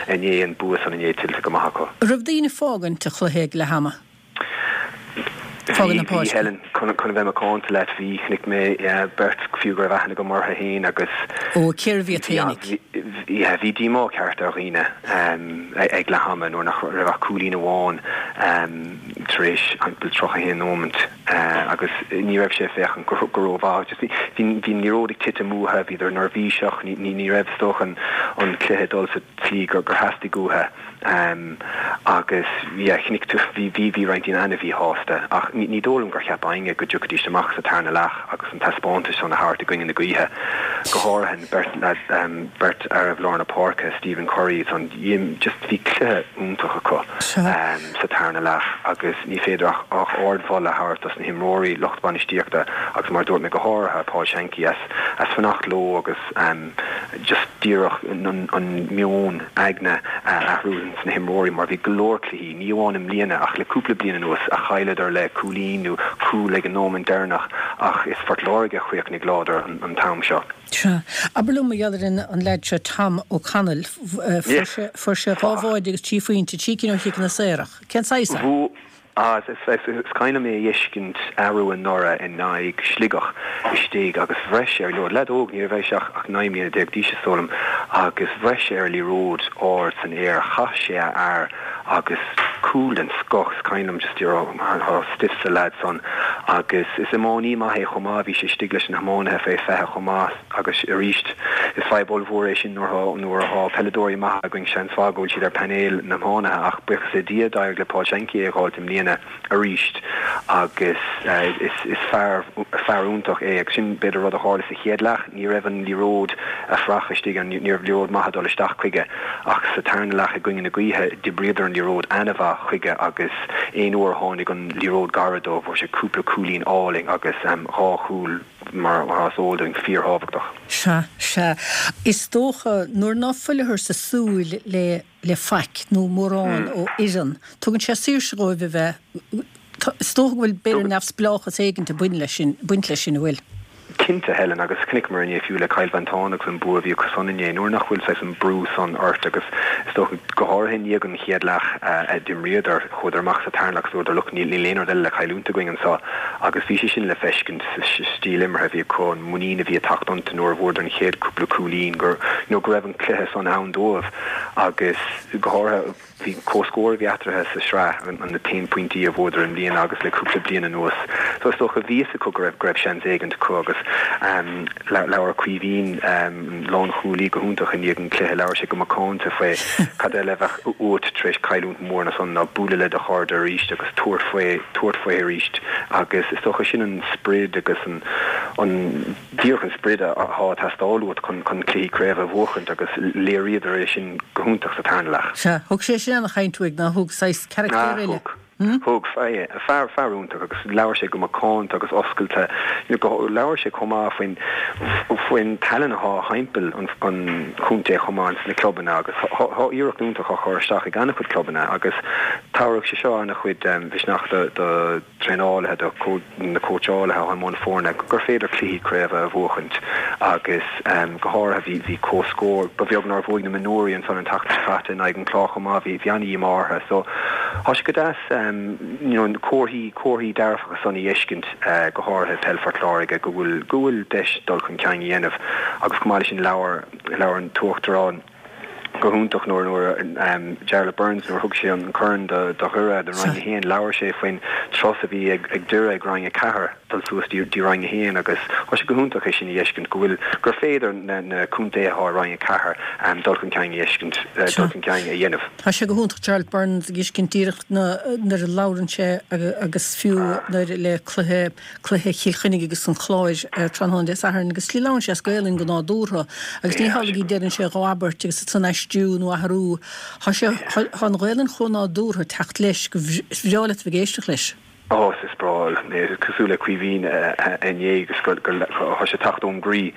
inné, an bua san inné tuillte go maith acu. Raibh daoine fágaint an chluiche ag leath ama? Fágaint na páirce? Bhí, Helen, chun a bheith macánta leat, bhí, chonaic mé beirt fiú go raibh aithne agam orthu féin agus. Ó, cérbh iad féinig? Yeah, bhí díomá ceart ar dhaoine ag leath ama nuair nach raibh ach cúilín amháin tar éis 31 nóimint. agus ní raibh sé ag féachaint go rómhaith. Just bhí bhí an liathróid ag titim uathu, bhíodar neirbhíseach, ní ní raibh is dócha an an cluiche ag dul sa tslí gur gur theastaigh uathu. Agus yeah chonaic tú bhí bhí bhí roinnt daoine ana-mhíshásta ach ní ní dóigh liom gur cheap éinne go dtiocfaidís amach sa tarna leath agus an taispeántas san a thabhairt i gcoinne na gaoithe. Go háirithe an beirt leaid beirt fhearaibh lár na páirce, Stephen Curry san just bhí cluiche iontach acu. sa tarna leath agus ní féidir ach ach ardmholadh a thabhairt dos na himreoirí, lucht bainistíochta agus mar a dúirt mé go háirithe Paul Shankey as as fanacht leo agus. just díreach an meon aigne a athrú ins na himreoirí mar bhí go leor cluichí, ní amháin i mbliana ach le cúpla bliain anuas, a chailleadar le cúilín nó cúl ag an nóimint deireanach ach is Phort Láirge a chríochnaigh láidir an t-am seo. Sea. Abair liom mar gheall ar an leaid seo Tom O'Connell, fuair sé fuair sé 2 bháide agus 3 phointe, 3 cinn ó chiceanna saora. Cén saghas é? Bhuail Ah, is cuimhin liom é a fheiscint arú anuraidh in aghaidh Sligeach istigh agus bhreith sé ar liathróid, leaid óg, ní raibh sé ach 19 mbliana d'aois is dóigh liom, agus bhreith sé ar liathróid ard san aer, chaith sé a fhear agus cúl den scoth, is cuimhin liom just you know, tá stuif sa leaid san agus is iománaí maith é chomh maith, bhí sé istigh leis na hiománaithe fé 20 chomh maith. Agus arís, is fadhb ollmhór é sin nuair atá peileadóirí maithe againn, seans mhaith go bhfuil siad ar phainéal na n-iománaithe ach buíochas le Dia d'éirigh le Paul Shankey é a dh'fháilt i mbliana arís agus is fear fear iontach é agus sin b'fhéidir rud a tharla sa chéad leath, ní raibh an liathróid ag fuireach istigh, ní raibh liathróid maith ag dul isteach chuige ach sa tarna leath i gcoinne na gaoithe d'oibríodar an liathróid ana-mhaith chuige agus aon uair a tháinig an liathróid gairid dó fuair sé cúpla cúilín álainn agus dhá chúl Mar is eol dúinn, fíorthábhachtach. Sea, sea. Is dócha, nuair ná fuileathar sa súil le, le faic, nó mórán ó fhoireann, tugann sé saoirse dhóibh a bheith, is dócha go bhfuil, b'fhéidir, neamhspleáchas éigint ag baint leis sin, baint leis sin, an bhfuil? Cinnte, Helen, agus chonaiceamar inné fiú le Cill Mhantáin agus an bua a bhí acu san inné, nuair nach bhfuil saghas an brú san ort agus is dócha, go háirithe i ndiaidh an chéad leath a d'imríodar, chuadar amach sa tarna leath agus dúradar look, níl aon rud eile le cailliúint againn anseo agus bhí sé sin le feiscint sa stíl imeartha a bhí acu, an muinín a bhí ag teacht iontu nuair a bhfuaireadar an chéad cúpla cúilín gur, you know, go raibh an cluiche san ann dóibh agus go háirithe bhí comhscór a bhí eatarthu sa sraith, an na t-aon pointí a bhuadar i mbliana agus le cúpla bliain anuas. So is dócha bhí fhios acu go raibh, go raibh seans éigint acu agus ehm labhair Caoimhín, ehm lánchúlaí go hiontach i ndiaidh an chluiche, labhair sé go macánta faoi cad eile a bheadh uait tar éis cailliúint mór ná san ná bualadh le do chairde arís agus tabhairt faoi, tabhairt faoi arís agus is dócha sin an sprid agus an, an, díreach an sprid atá ag teastáil uait chun, chun cluichí craoibhe a bhuachaint agus léiríodar é sin go hiontach sa tarna leath. Sea, thug sé sin ana-chaint uaidh, nár thug, saghas carachtéir eile. Thug. Thug, fear, fear iontach agus labhair sé go macánta agus oscailte, you know, labhair sé chomh maith faoin, faoin tallann atá thimpeall an, an chontae chomh maith ins na clubanna agus tá iarracht iontach á chur isteach ag an-chuid clubanna agus tabharfaidh sé seo an-chuid misneach do, do traenálaithe, do na cóitseálaithe atá i mbun foirne gur féidir cluichí craoibhe a bhuachaint agus go háirithe bhí, bhí comhscór, ba bheag nár bhuaigh na mionúirí ansan an tseachtain seo caite in aghaidh an Chláir chomh maith, bhí, bhí an-dhíomá orthu so tá sé go deas you know comharthaí, comharthaí dearfacha san a fheiscint go háirithe peil Phort Láirge go bhfuil, go bhfuil deis dul chun cinn a dhéanamh agus chomh maith leis sin labhair, labhair an tUachtarán. go hiontach nuair nuair Jarlath Burns nuair a thug sé an corn do do Dhoire do Roinn 1 labhair sé faoin turas a bhí ag ag Doire ag Roinn 4 dul suas dtí Roinn 1 agus tá sé go hiontach é sin a fheiscint go bhfuil gur féidir na na contaetha atá i Roinn 4 dul chun cinn a fheiscint dul chun cinn a dhéanamh. Tá sé go hiontach Jarlath Burns a fheiscint díreach nuair a labhrann sé agus fiú nuair le cluiche cluiche Chill Chainnigh agus an Chláir tráthnóna Dé Sathairn agus slí labhrann sé as Gaelainn go nádúrtha agus ní hamhlaidh go deireann sé dhá abairt agus ansan aistriú nó athrú. Tá sé, tá an Ghaelainn chomh nádúrtha ag teacht leis gur bhreá leat a bheith ag éisteacht leis. Ó, is breá liom é, cosúil le Caoimhín inné agus go, tá sé ag teacht ón gcroí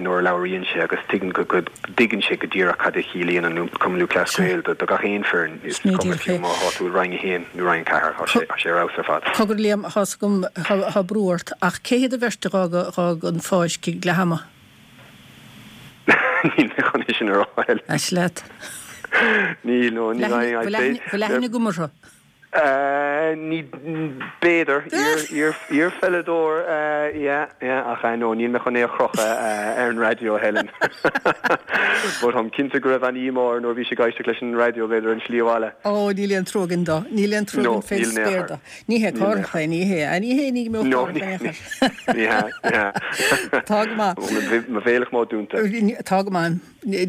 nuair a labhraíonn sé agus tuigeann go, go dtuigeann sé go díreach cad a chiallaíonn an Cumann Lúthchleas Gael do gach aon foireann. Is cuma fiú má tá tú i Roinn 1 nó Roinn 4, tá sé ar fheabhas ar fad. Cogar Liam, tá 's agam, tá brú ort, ach cé hiad an bheirt a dh'fhág an pháirc ag leath ama? Níl mé chun é sin a rá, Helen. Ait leat. Níl, no, níl aon. Bhfuil aithne agam orthu? Ní, b'fhéidir, iar-pheileadóir, yeah, yeah, ach no, níl mé chun é a chrochadh ar an raidió, Helen. But táim cinnte go raibh an-díomá air nuair a bhí sé ag éisteacht leis an raidió, b'fhéidir, ar an slí abhaile. Ó, níl aon trua againn dó. Níl aon trua againn fén spéir dó. Ní hé Cárthach é, ní hé, ní hé, ní go mbeadh Cárthach in aon chor. Ní hea, ní hea. Tá go maith. Mo bhéal chomh dúnta. Tá go maith.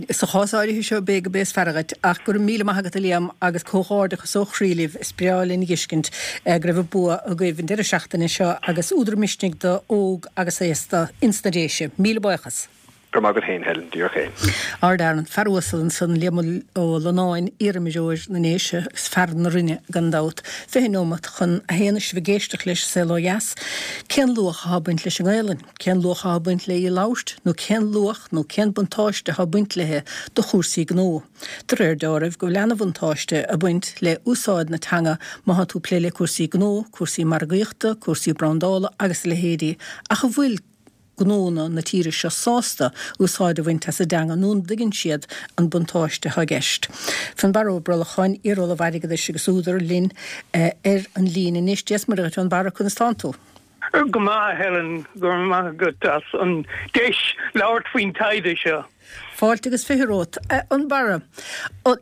Sa chás áirithe seo, b'é go b'é is fearr dhuit, ach go raibh míle maith agat a Liam agus comhghairdeachas ó chroí libh, is breá linn a dh'fheiscint go raibh an bua agaibh an deireadh seachtaine seo agus údar misnigh do óg agus aosta ins na Déise. Míle buíochas. Go raibh maith agat féin, Helen, díreach é. Ardfhear, an fear uasal ansan, Liam Ó Lonáin, iarimreoir na nDéise agus fear na Rinne gan dabht. 20 neomat chun a haon is sibh ag éisteacht leis Saol Ó Dheas. Cén luach athá ag baint leis an nGaelainn? Cén luach athá ag baint le í a labhairt? Nó cén luach nó cén buntáiste athá ag baint léi do chúrsaí gnó? De réir deáraimh go bhfuil ana-bhuntáiste ag baint le úsáid na teanga má thá tú ag plé le cúrsaí gnó, cúrsaí margaíochta, cúrsaí brandála agus a leithéidí ach an bhfuil gnónna na tíre seo sásta úsáid a bhaint as an dteanga nó an dtuigeann siad an buntáiste atá i gceist. Fionnbarra Ó Brolcháin, iar-Ollamh Airgeadais agus údar, linn ar an líne anois. Dia is Muire dhuit, a Fhionnbarra, conas tánn tú? Go maith, a Helen, go raibh maith agat as an deis labhairt faoin taighde seo. Fáilte agus 20 romhat. A Fhionnbarra,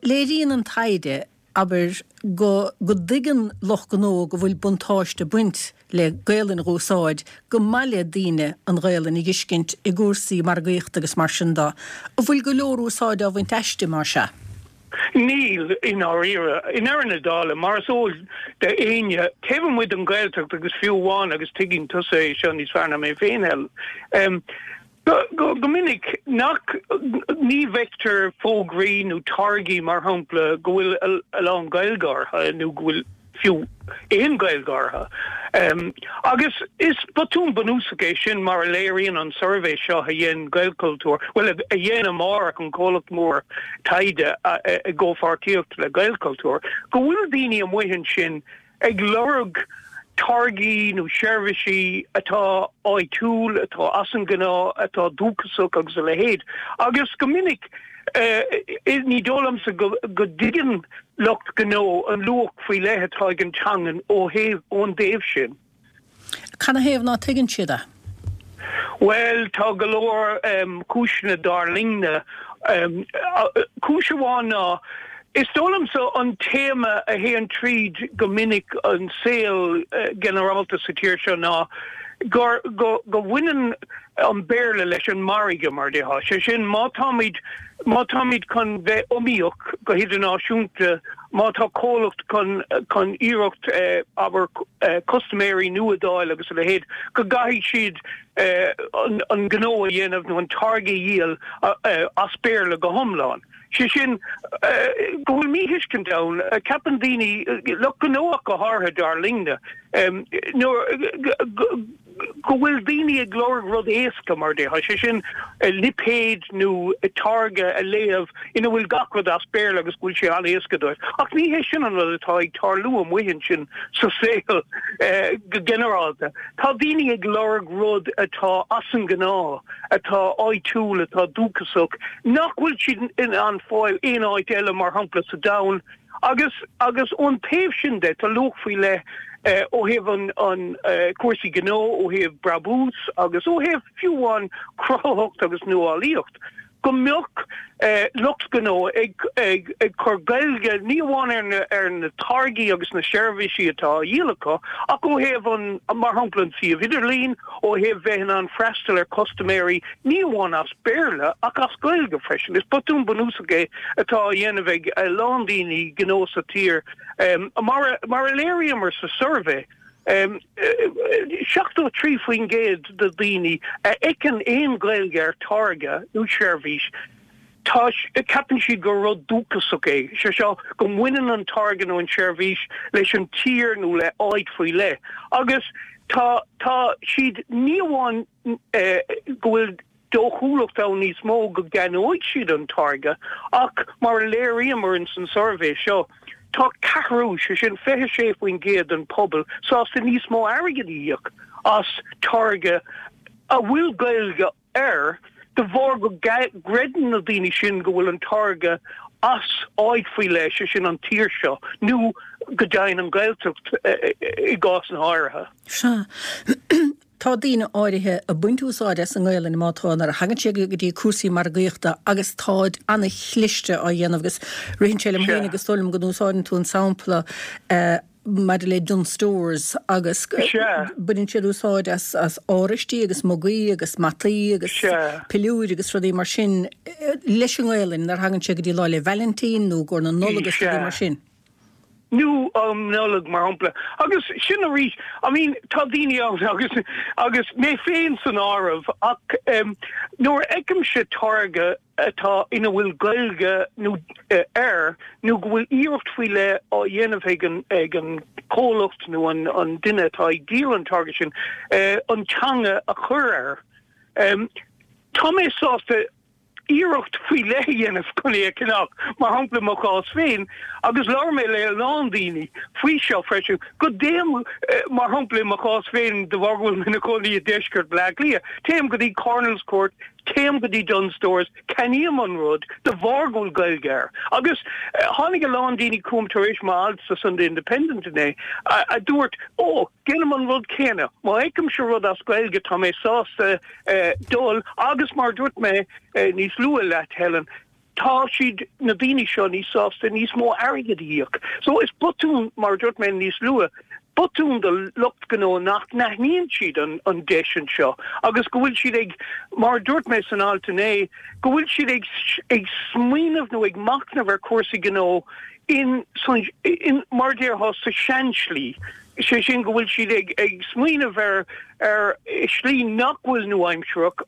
léiríonn an taighde abair, go go dtuigeann lucht gnó go bhfuil buntáiste ag baint le Gaelainn a dh'úsáid, go maith le daoine an Ghaelainn a dh'fheiscint i gcúrsaí margaíochta agus mar sin de. An bhfuil go leor úsáide á bhaint aisti, más ea? Níl, i ndáiríre. I ndeireadh na dála, mar is eol d'éinne, taobh amuigh den Ghaeltacht agus fiú amháin, agus tuigeann tusa é seo níos fearr ná mé féin, Helen, Go minic nach, ní bhfeictear fógraí nó táirgí, mar shampla, go bhfuil a lán Gaeilge orthu nó go bhfuil fiú aon Ghaeilge orthu. Agus is botún bunúsach é sin mar a léiríonn an suirbhé seo a dhein Gaelchultúr, bhuel, a dhein Amárach, an comhlacht mór taighde i gcomhpháirtíocht le Gaelchultúr, go bhfuil daoine amuigh ansin ag lorg táirgí nó seirbhísí atá áitiúil, atá as an ngnáth, atá dúchasach agus a leithéid. Agus go minic, ní dóigh liomsa go dtuigeann lucht gnó an luach faoi leith atá ag an teangain ó thaobh, ón dtaobh sin. Canathaobh ná tuigeann siad é? Bhuel, tá go leor cúiseanna dar liomsa. Cúis amháin ná, is dóigh liomsa, an téama a théann tríd go minic an saol ginearálta sa tír seo ná gur go bhaineann an Béarla leis an margadh, mar a déarfá. Sé sin, má táimid má táimid chun bheith iomaíoch go hidirnáisiúnta, má tá comhlacht chun chun iarracht, abair, custaiméirí nua d'fháil agus a leithéid, go gcaithfidh siad an gnó a dhéanamh nó an táirge a dhíol as Béarla go hiomlán. Sé sin, go bhfuil míthuiscint ann, ceapann daoine, lucht gnó ach go háirithe, dar linne, nuair go bhfuil daoine ag lorg rud éasca, mar a déarfá, sé sin, lipéad nó táirge a léamh ina bhfuil gach rud as Béarla agus go bhfuil sé an-éasca dóibh. Ach ní hé sin an rud atá ag tarlú amuigh ansin sa saol go ginearálta. Tá daoine ag lorg rud atá as an ngnáth, atá áitiúil, atá dúchasach, nach bhfuil siad in ann fáil aon áit eile, mar shampla sa domhan. Agus agus ón taobh sin de, tá luach faoi leith ó thaobh an an cúrsaí gnó, ó thaobh brabús agus ó thaobh fiú amháin cruthaitheacht agus nuálaíocht, go mbeadh lucht gnó ag ag ag cur Gaeilge ní amháin ar na ar na táirgí agus na seirbhísí atá á dhíol acu, ach ó thaobh an mar shampla an suíomh idirlín, ó thaobh bheith in ann freastal ar chustaiméirí ní amháin as Béarla ach as Gaeilge freisin. Is botún bunúsach é atá á dhéanamh ag a lán daoine gnó sa tír. Mar a léiríomar sa suirbhé, 73% de dhaoine a fheiceann aon Ghaeilge ar táirge nó seirbhís, tá, ceapann siad gur rud dúchasach é, sé seo, go mbaineann an táirge nó an tseirbhís leis an tír nó le áit faoi leith. Agus tá, tá siad ní amháin go bhfuil dóchúlacht ann níos mó go gceannóidh siad an táirge ach, mar a léiríomar ins an suirbhé seo, tá ceathrú, sé sin 26% den pobal, sásta níos mó airgid a íoc as táirge a bhfuil Gaeilge air de bharr go gcreideann na daoine sin go bhfuil an táirge as áit faoi leith, sé sin an tír seo, nó go deimhin an Ghaeltacht i gcásanna áirithe. Sea. Tá daoine áirithe ag baint úsáide as an nGaelainn má tá nuair a thagann sé go dtí cúrsaí margaíochta agus táid ana-chliste á dhéanamh agus ritheann sé liom féin agus is dóigh liom go n-úsáideann tú an sampla maidir le Dunnes Stores agus baineann siad úsáid as as áraistí agus mugaí agus mataí agus piliúir agus rudaí mar sin leis an nGaelainn nuair a thagann sé go dtí Lá 'le Vailintín nó i gcomhair na Nollag agus rudaí mar sin. Nó um Nollaig, mar shampla. Agus sin arís, I mean, tá daoine ann agus, agus mé féin san áireamh, ach nuair a fheicimse táirge atá, ina bhfuil Gaeilge nó air, nó go bhfuil iarracht faoi leith á dhéanamh ag an, ag an comhlacht nó an, an duine atá ag díol an táirge sin, an teanga a chur air, tá mé sásta iarracht faoi leith a dhéanamh chun é a cheannach, mar shampla i mo chás féin, agus labhair mé le a lán daoine faoi seo freisin, go dtéim, mar shampla i mo chás féin, de bharr go bhfuil mé ina chónaí i deisceart Bhaile Átha Cliath, téim go dtí Cornelscourt, téim go dtí Dunnes Stores, ceannaím an rud de bharr go bhfuil Gaeilge air. Agus tháinig a lán daoine chugam tar éis m'alt sa Sunday Independent inné, a dúirt, Ó, déanaim an rud céanna, má fheicimse rud as Gaeilge tá mé sásta dul agus mar a dúirt mé níos luaithe leat, Helen, tá siad, na daoine seo, níos sásta níos mó airgid a íoc. So is botún, mar a dúirt mé níos luaithe, botún do lucht gnó nach n-aithníonn siad an, an deis anseo agus go bhfuil siad ag, mar a dúirt mé san alt inné, go bhfuil siad ag, ag smaoineamh nó ag machnamh ar chúrsaí gnó in, san, in, mar a déarfá, sa seanslí. Sé sin go bhfuil siad ag, ag smaoineamh ar, ar shlí nach bhfuil nua-aimsearach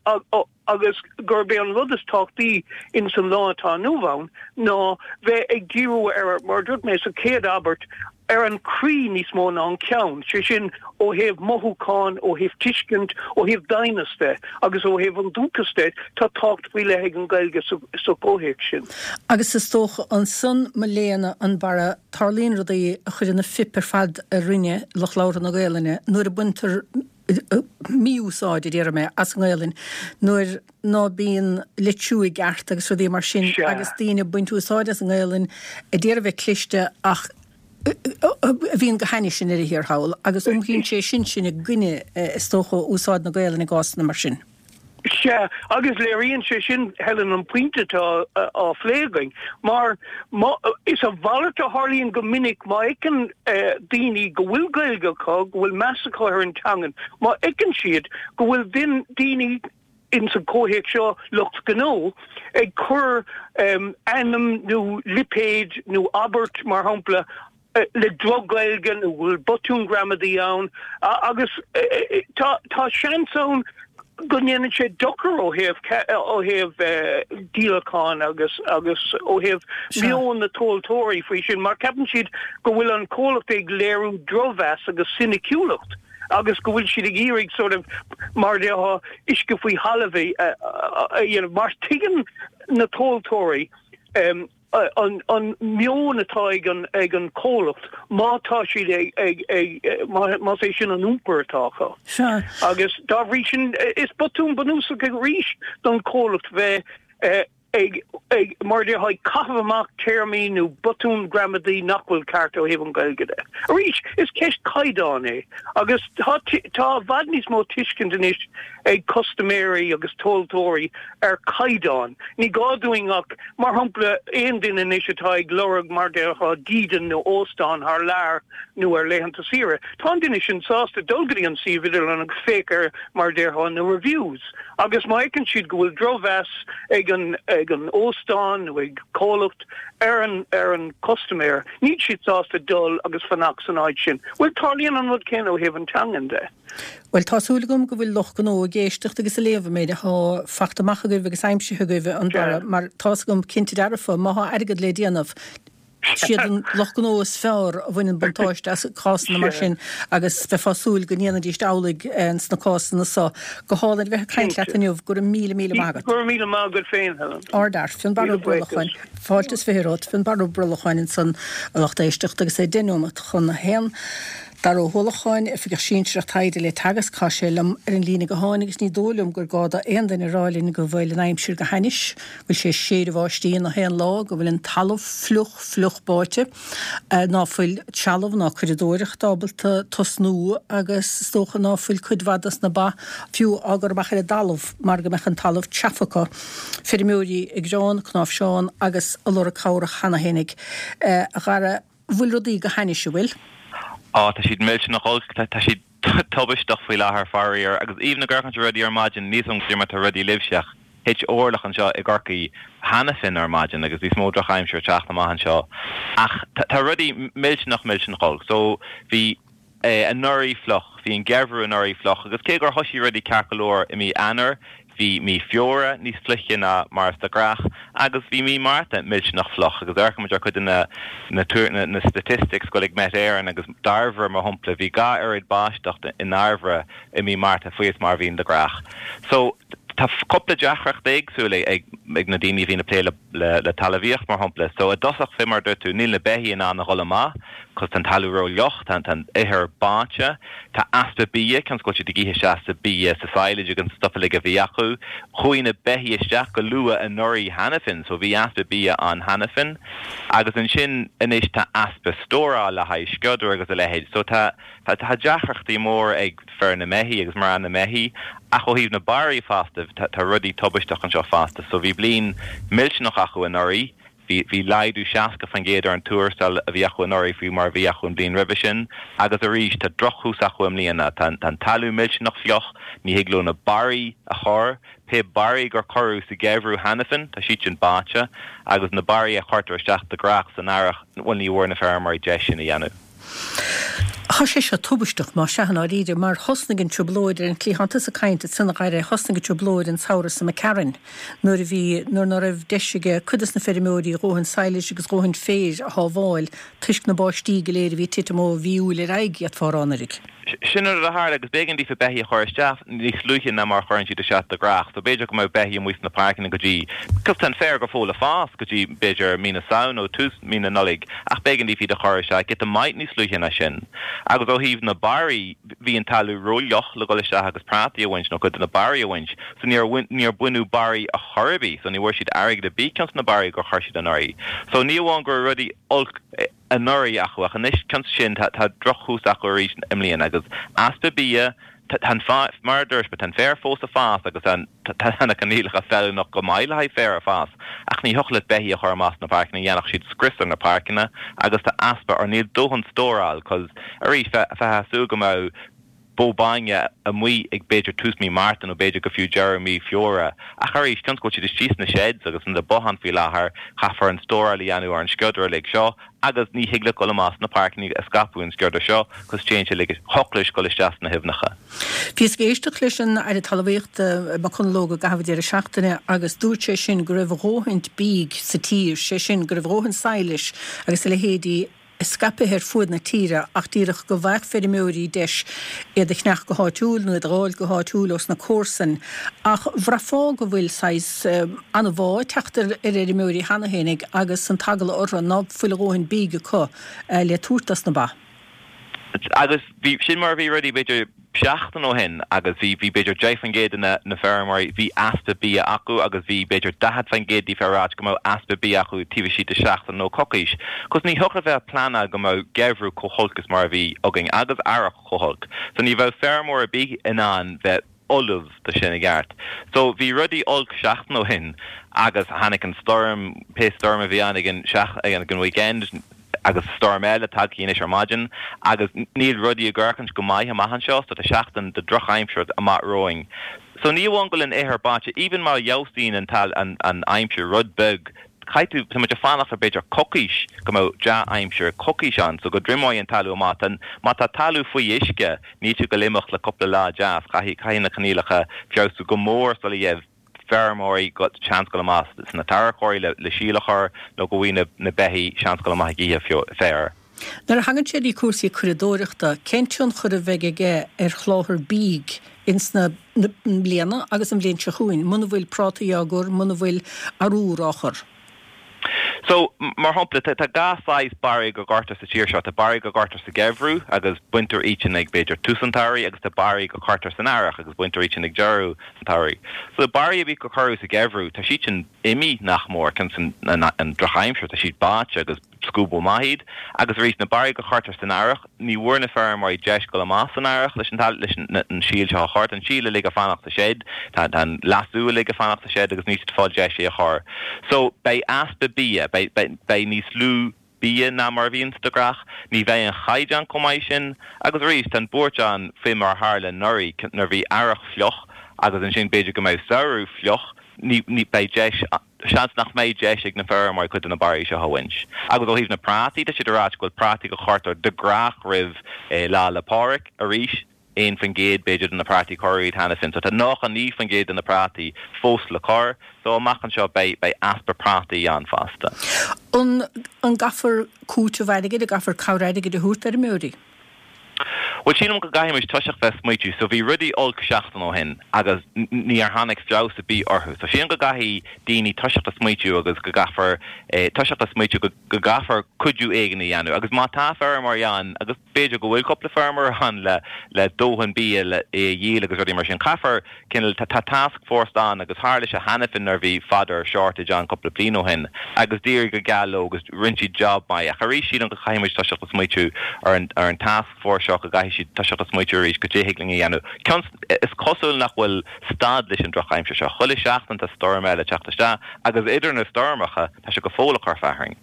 agus gurb é an rud is tábhachtaí ins an lá atá inniu ann ná bheith ag díriú ar, mar a dúirt mé sa chéad abairt, ar an chroí níos mó ná an ceann, sé sin ó thaobh mothúcháin, ó thaobh tuiscint, ó thaobh doimhneas de agus ó thaobh an dúchas de, tá tábhacht faoi leith ag an Ghaeilge sa chomhthéacs sin. Agus is dócha ansan, mo léan, a Fhionnbarra, tarlaíonn rudaí a chuireann an phip ar fad ar rinne lucht labhartha na Gaelainne nuair a baintear mí-úsáid, a déarfaidh mé, as an nGaelainn, nuair ná bíonn litriú i gceart agus rudaí mar sin agus daoine ag baint úsáid as an nGaelainn a d'iarraidh bheith cliste ach a bhíonn go hainnis i ndeireadh thiar thall agus iompraíonn sé sin sinn i gcoinne, is dócha, úsáid na Gaelainne i gcásanna mar sin. Sea, agus léiríonn sé sin, Helen, an pointe atá á phlé againn, mar is a mhalairt a tharlaíonn go minic, má fheiceann daoine go bhfuil Gaeilge acu, go bhfuil meas acu ar an teangain, má fheiceann siad go bhfuil daoine ins an comhthéacs seo, lucht gnó, ag cur ainm nó lipéad nó abairt, mar shampla, le droch-Ghaeilge nó go bhfuil botún gramadaí ann agus tá seans ann go ndéanann sé dochar ó thaobh ó thaobh díolacháin agus agus ó thaobh meon na tomhaltóirí faoi sin mar ceapann siad go bhfuil an comhlacht ag léiriú drochmheas agus soiniciúlacht agus go bhfuil siad ag iarraidh sort of mar a déarfá uisce faoi thalamh a dhéanamh mar tuigeann na tomhaltóirí an meon atá ag an ag an comhlacht má tá siad ag ag ag más é sin an iompar atá acu. Sea. Agus dá bhrí sin is botún bunúsach arís don chomhlacht bheith ag ag mar a déarfá ag caitheamh amach téarmaí nó botúin gramadaí nach bhfuil ceart ó thaobh an Ghaeilge de. Arís is ceist caighdeáin é agus tá tá i bhfad níos mó tuiscint anois ag custaiméirí agus tomhaltóirí ar chaighdeán. Ní gá dúinn ach, mar shampla, aon duine anois atá ag lorg, mar déarfá, dídean nó óstán thar lear nó ar laethanta saoire, tá an duine sin sásta dul go dtí an suíomh idirlín agus féach ar, mar déarfá, na reviews agus má fheiceann siad go bhfuil drochmheas ag an ag an óstán nó ag comhlacht ar an ar an custaiméir, níl siad sásta dul agus fanacht san áit sin. Bhuel, tarlaíonn an rud céanna ó thaobh an teangan de. Bhuel, tá súil agam go bhfuil lucht gnó ag éisteacht agus ag léamh an méid athá fachta amach agaibh agus aimsithe agaibh, a Fhionnbarra, mar tá's agam cinnte dearfa, má thá airgead le déanamh, siad an lucht gnó is fearr a bhaineann buntáiste as cásanna mar sin agus bheifeá ag súil go ndéanfaidíst amhlaidh sna cásanna so. Go hálainn a bheith ag caint leat inniu, go raibh míle míle maith agat. Go raibh míle maith agat féin, Helen. Ardfhear, Fionnbarra Ó Brollacháin. Fáilte is 20 romhat, Fionnbarra Ó Brollacháin ansan, a lucht éisteachta, agus é deich nóimeat chun a haon. Dara Ó hUallacháin, Oifigeach Sinsearach Taighde le Teagasc, tá sé liom ar an líne gutháin agus ní dóigh liom gur gá do aon duine a rá linn go bhfuil an aimsir go hainnis, go bhfuil sé ag séideadh báistí na haon lá, go bhfuil an talamh fliuch fliuch báite, ná fuil trealamh ná curadóireacht ábalta tosnú agus is dócha ná fuil cuid mhaith dos na ba fiú á gcur amach ar an dtalamh mar go mbeadh an talamh teafa acu. Feirmeoirí ag gearán, cnáimhseán agus ag lorg cabhrach cheana fhéinig. A Dhara. bhfuil rudaí go hainnis, an bhfuil? Á, tá siad millteanach olc, tá siad tubaisteach faoi láthair, faraor. Agus even ag amharc ar rudaí ar maidin, níl 's agam cad é mar tá rudaí libhse ach. Thit orlach anseo i gCorcaigh cheana féin ar maidin agus níos mó drochaimsir ag teacht amach anseo. Ach tá rudaí millteanach millteanach olc. So bhí anuraidh fliuch, bhí an geimhreadh anuraidh fliuch agus cé gur thoisigh rudaí ceart go leor i mí Eanáir, bhí mí Feabhra níos fliche ná mar is de ghnách agus bhí mí Márta millteanach fliuch agus amharcann muid ar cuid de na na na statistics go bhfuil ag Met Éireann agus Dairbhre mar shampla, bhí dha oiread báisteacht i nDairbhre i mí Márta faoi is mar a bhíonn de ghnách. So tá cúpla deacracht éagsúil ag ag na daoine a bhíonn ag plé le le talmhaíocht mar shampla. So i dtosach fé mar a dúirt tú níl na beithígh in ann a dhul amach cos tá an talamh ró-fhliuch, tá an ithir báite, tá easpa bia, cionn is go bhfuil siad ag ithe isteach sa bia, sa silage agus an stuif uilig a bhí acu. Chuaigh na beithígh isteach go luath anuraidh cheana féin so bhí easpa bia ann cheana féin. Agus ansin anois tá easpa stóráil le haghaidh sciodar agus a leithéid. So tá Tá deacrachtaí móra ag fir na mbeithí agus mná na mbeithí ach ó thaobh na barraí fosta, tá rudaí tubaisteach anseo fosta. So bhí bliain millteanach acu anuraidh, bhí bhí laghdú 60% ar an tuarastal a bhí acu anuraidh faoi mar a bhí acu an bhliain roimhe sin agus arís tá drochthús acu i mbliana. Tá an talamh millteanach fliuch, ní thig leo na barraí a chur, pé barraí gur cuireadh sa gheimhreadh cheana féin, tá siad sin báite agus na barraí a chuirtear isteach de ghnách san earrach, bhuel ní bhfuair na feirmeoirí deis sin a dhéanamh. Tá sé seo tubaisteach, más ea, i ndáiríre, mar thosnaigh an trioblóid ar an chliathán tusa ag caint ansan a Dhaire, thosnaigh an trioblóid an samhradh seo imigh tharainn nuair a bhí, nuair ná raibh deis ag cuid dos na feirmeoirí a dhóthain sadhlais agus a dhóthain féir a shábháil toisc na báistí go léir a bhí ag titim ó mhí Iúil ar aghaidh, d'fhéadfá a rá anuraidh. Sin an rud a tharla agus b'éigean daofa beithígh a chur isteach níos luaithe ná mar a chuireann siad isteach de ghnách. So b'fhéidir go mbeadh beithígh amuigh sna páirceanna go dtí, cos tá an féar go fóill ag fás go dtí b'fhéidir mí na Samhna nó tús mí na Nollag ach b'éigean daofa iad a chur isteach giota maith níos luaithe ná sin. Agus ó thaobh na barraí, bhí an talamh ró-fhliuch le dhul isteach agus prátaí a bhaint nó cuid de na barraí a bhaint so níor níor baineadh barraí a chor ar bith so ní bhfuair siad airgead ar bith cionn sna barraí gur chuir siad anuraidh. So ní amháin go raibh rudaí olc anuraidh acu ach anois cionn sin tá drochthús acu arís i mbliana agus easpa bia, tá an, mar a dúirt mé, tá an féar fós ag fás agus tá tá na coinníollacha feiliúnach go maith le haghaidh féar a fás ach ní thiocfadh leat beithígh a chur amach sna páirceanna, dhéanfadh siad scrios ar na páirceanna agus tá easpa or níl dóthain stóráil cos arís bheifeá ag súil go mbeadh bó bainne amuigh ag b'fhéidir tús mí Márta nó b'fhéidir go fiú deireadh mí Feabhra. Ach arís, cionn is go bhfuil siad istigh sna sheds agus sna botháin faoi láthair, caithfear an stóráil a dhéanamh ar an sciodar uilig seo agus ní thig leat dul amach sna páirceanna ag scaipeadh an sciodar seo cos téann sé uilig, thiocfadh leis dul isteach sna haibhneacha. Bhíos ag éisteacht leis an Aire Talmhaíochta, Mac Conalóg i gcaitheamh an deireadh seachtaine agus dúirt sé sin go raibh a dhóthaint bídh sa tír, sé sin go raibh a dhóthain sadhlais agus a leithéidí scaipthe ar fuaid na tíre ach díreach go bhfaigheadh feirmeoirí deis iad a cheannach go háitiúil nó iad a dh'fháil go háitiúil ós na comharsain. Ach bhraithfeá go bhfuil saghas an-bhá ag teacht ar fheirmeoirí cheana fhéinig agus an t-eagla orthu ná fuil a dhóthain bídh acu le tabhairt dos na ba. Agus bhí, sin mar a bhí rudaí b'fhéidir seachtain ó shin agus bhí, bhí b'fhéidir 10% de na, na feirmeoirí, bhí easpa bia acu agus bhí b'fhéidir 40% díofa ag ráit go mbeadh easpa bia acu taobh istigh de seachtain nó coicís. Cos ní thiocfadh a bheith ag pleanáil go mbeadh geimhreadh chomh holc is mar a bhí againn agus earrach chomh holc. So ní bheadh feirmeoir ar bith in ann bheith ullamh do sin i gceart. So bhí rudaí olc seachtain ó shin agus tháinig an stoirm, pé stoirm a bhí ann ag an seach, ag an weekend agus stoirm eile tagtha anois ar maidin agus níl rudaí ag amharcaint go maith amach anseo so tá seachtain de drochaimsir amach romhainn. So ní amháin go bhfuil an ithir báite, even má fheabhsaíonn an an an aimsir rud beag, Caithfidh tú, tá muid ag fanacht ar b'fhéidir coicís go mbeadh dea-aimsir, coicís ann so go dtriomóidh an talamh amach. Tá, má tá talamh faoi uisce, níl sé ag goil imeacht le cúpla lá deas, caithfidh, caithfidh na coinníollacha feabhsú go mór sula gheibh feirmeoirí seans dul amach sna tarracóirí le, le síol a chur nó go bhfaighidh na, na beithígh seans dul amach ag ithe féir. Nuair a thagann sé dtí cúrsaí curadóireachta, cén tionchar a bheidh aige ar sholáthar bídh ins na mbliana agus an bhliain seo chugainn, muna bhfuil prátaí á gcur, muna bhfuil arúr á chur? So, mar shampla, tá dhá saghas barraí go gcuirtear sa tír seo. Tá barraí go gcuirtear sa gheimhreadh agus baintear iad sin ag b'fhéidir tús an tsamhraidh agus tá barraí go cuirtear san earrach agus baintear iad sin ag deireadh an tsamhraidh. So, barraí a bhí go cuireadh sa gheimhreadh, tá siad sin imithe nach mór, cionn is an drochaimsir, tá siad báite agus scuabadh amach iad agus arís na barraí go chuirtear san earrach, ní bhfuair na feirmeoirí deis dul amach san earrach leis an leis an síol seo a chur. Tá an síol uilig ag fanacht sa seid, tá an leasú uilig ag fanacht sa seid agus níl siad ag fáil deis é a chur. So beidh easpa bia, beidh beidh níos lú bia ná mar a bhíonn de ghnách, ní bheidh an chaighdeán chomh maith sin agus arís tá an buairt ann faoi mar a tharla anuraidh nuair a bhí earrach fliuch. agus ansin b'fhéidir go mbeidh samhradh fliuch, ní, ní, beidh deis, seans nach mbeidh deis ag na feirmeoirí cuid de na barraí seo a bhaint. Agus ó thaobh na prátaí, tá siad ag ráit go bhfuil prátaí a chuirtear de gnách roimh Lá 'le Pádraig arís, 1% b'fhéidir de na prátaí cuireadh iad cheana féin. So tá 99% de na prátaí fós le cur. So amach anseo beidh, beidh easpa prátaí ann fosta. An, an gcaithfear cúiteamh airgid, an gcaithfear cabhair airgid a thabhairt d'fheirmeoirí? Bhuel, sílim go gcaithfidh muid toiseacht bheith smaoitiú. So bhí rudaí olc seachtain ó shin agus níor tháinig feabhas ar bith orthu. So sílim go gcaithfidh daoine toiseacht a smaoitiú agus go gcaithfear toiseacht a smaoitiú go go gcaithfear cuidiú éigin a dhéanamh. Agus má tá feirmeoirí ann, agus b'fhéidir go bhfuil cúpla feirmeoir ann le le dóthain bia le é a dhíol agus rudaí mar sin, caithfear cineál, tá tá task force ann agus tharla sé cheana féin nuair a bhí fodder shortage ann cúpla bliain ó shin agus d'éirigh go geal leo agus rinne siad job maith ach arís sílim go gcaithfidh muid toiseacht a smaoitiú ar an ar an task force seo go gcaithfidh siad toiseacht a smaoitiú arís goidé thig linn a dhéanamh. Cionn is cosúil nach bhfuil stad leis an drochaimsir seo. Chuile sheachtain tá stoirm eile ag teacht isteach agus idir na stoirmeacha tá sé go fóill ag cur fearthainn.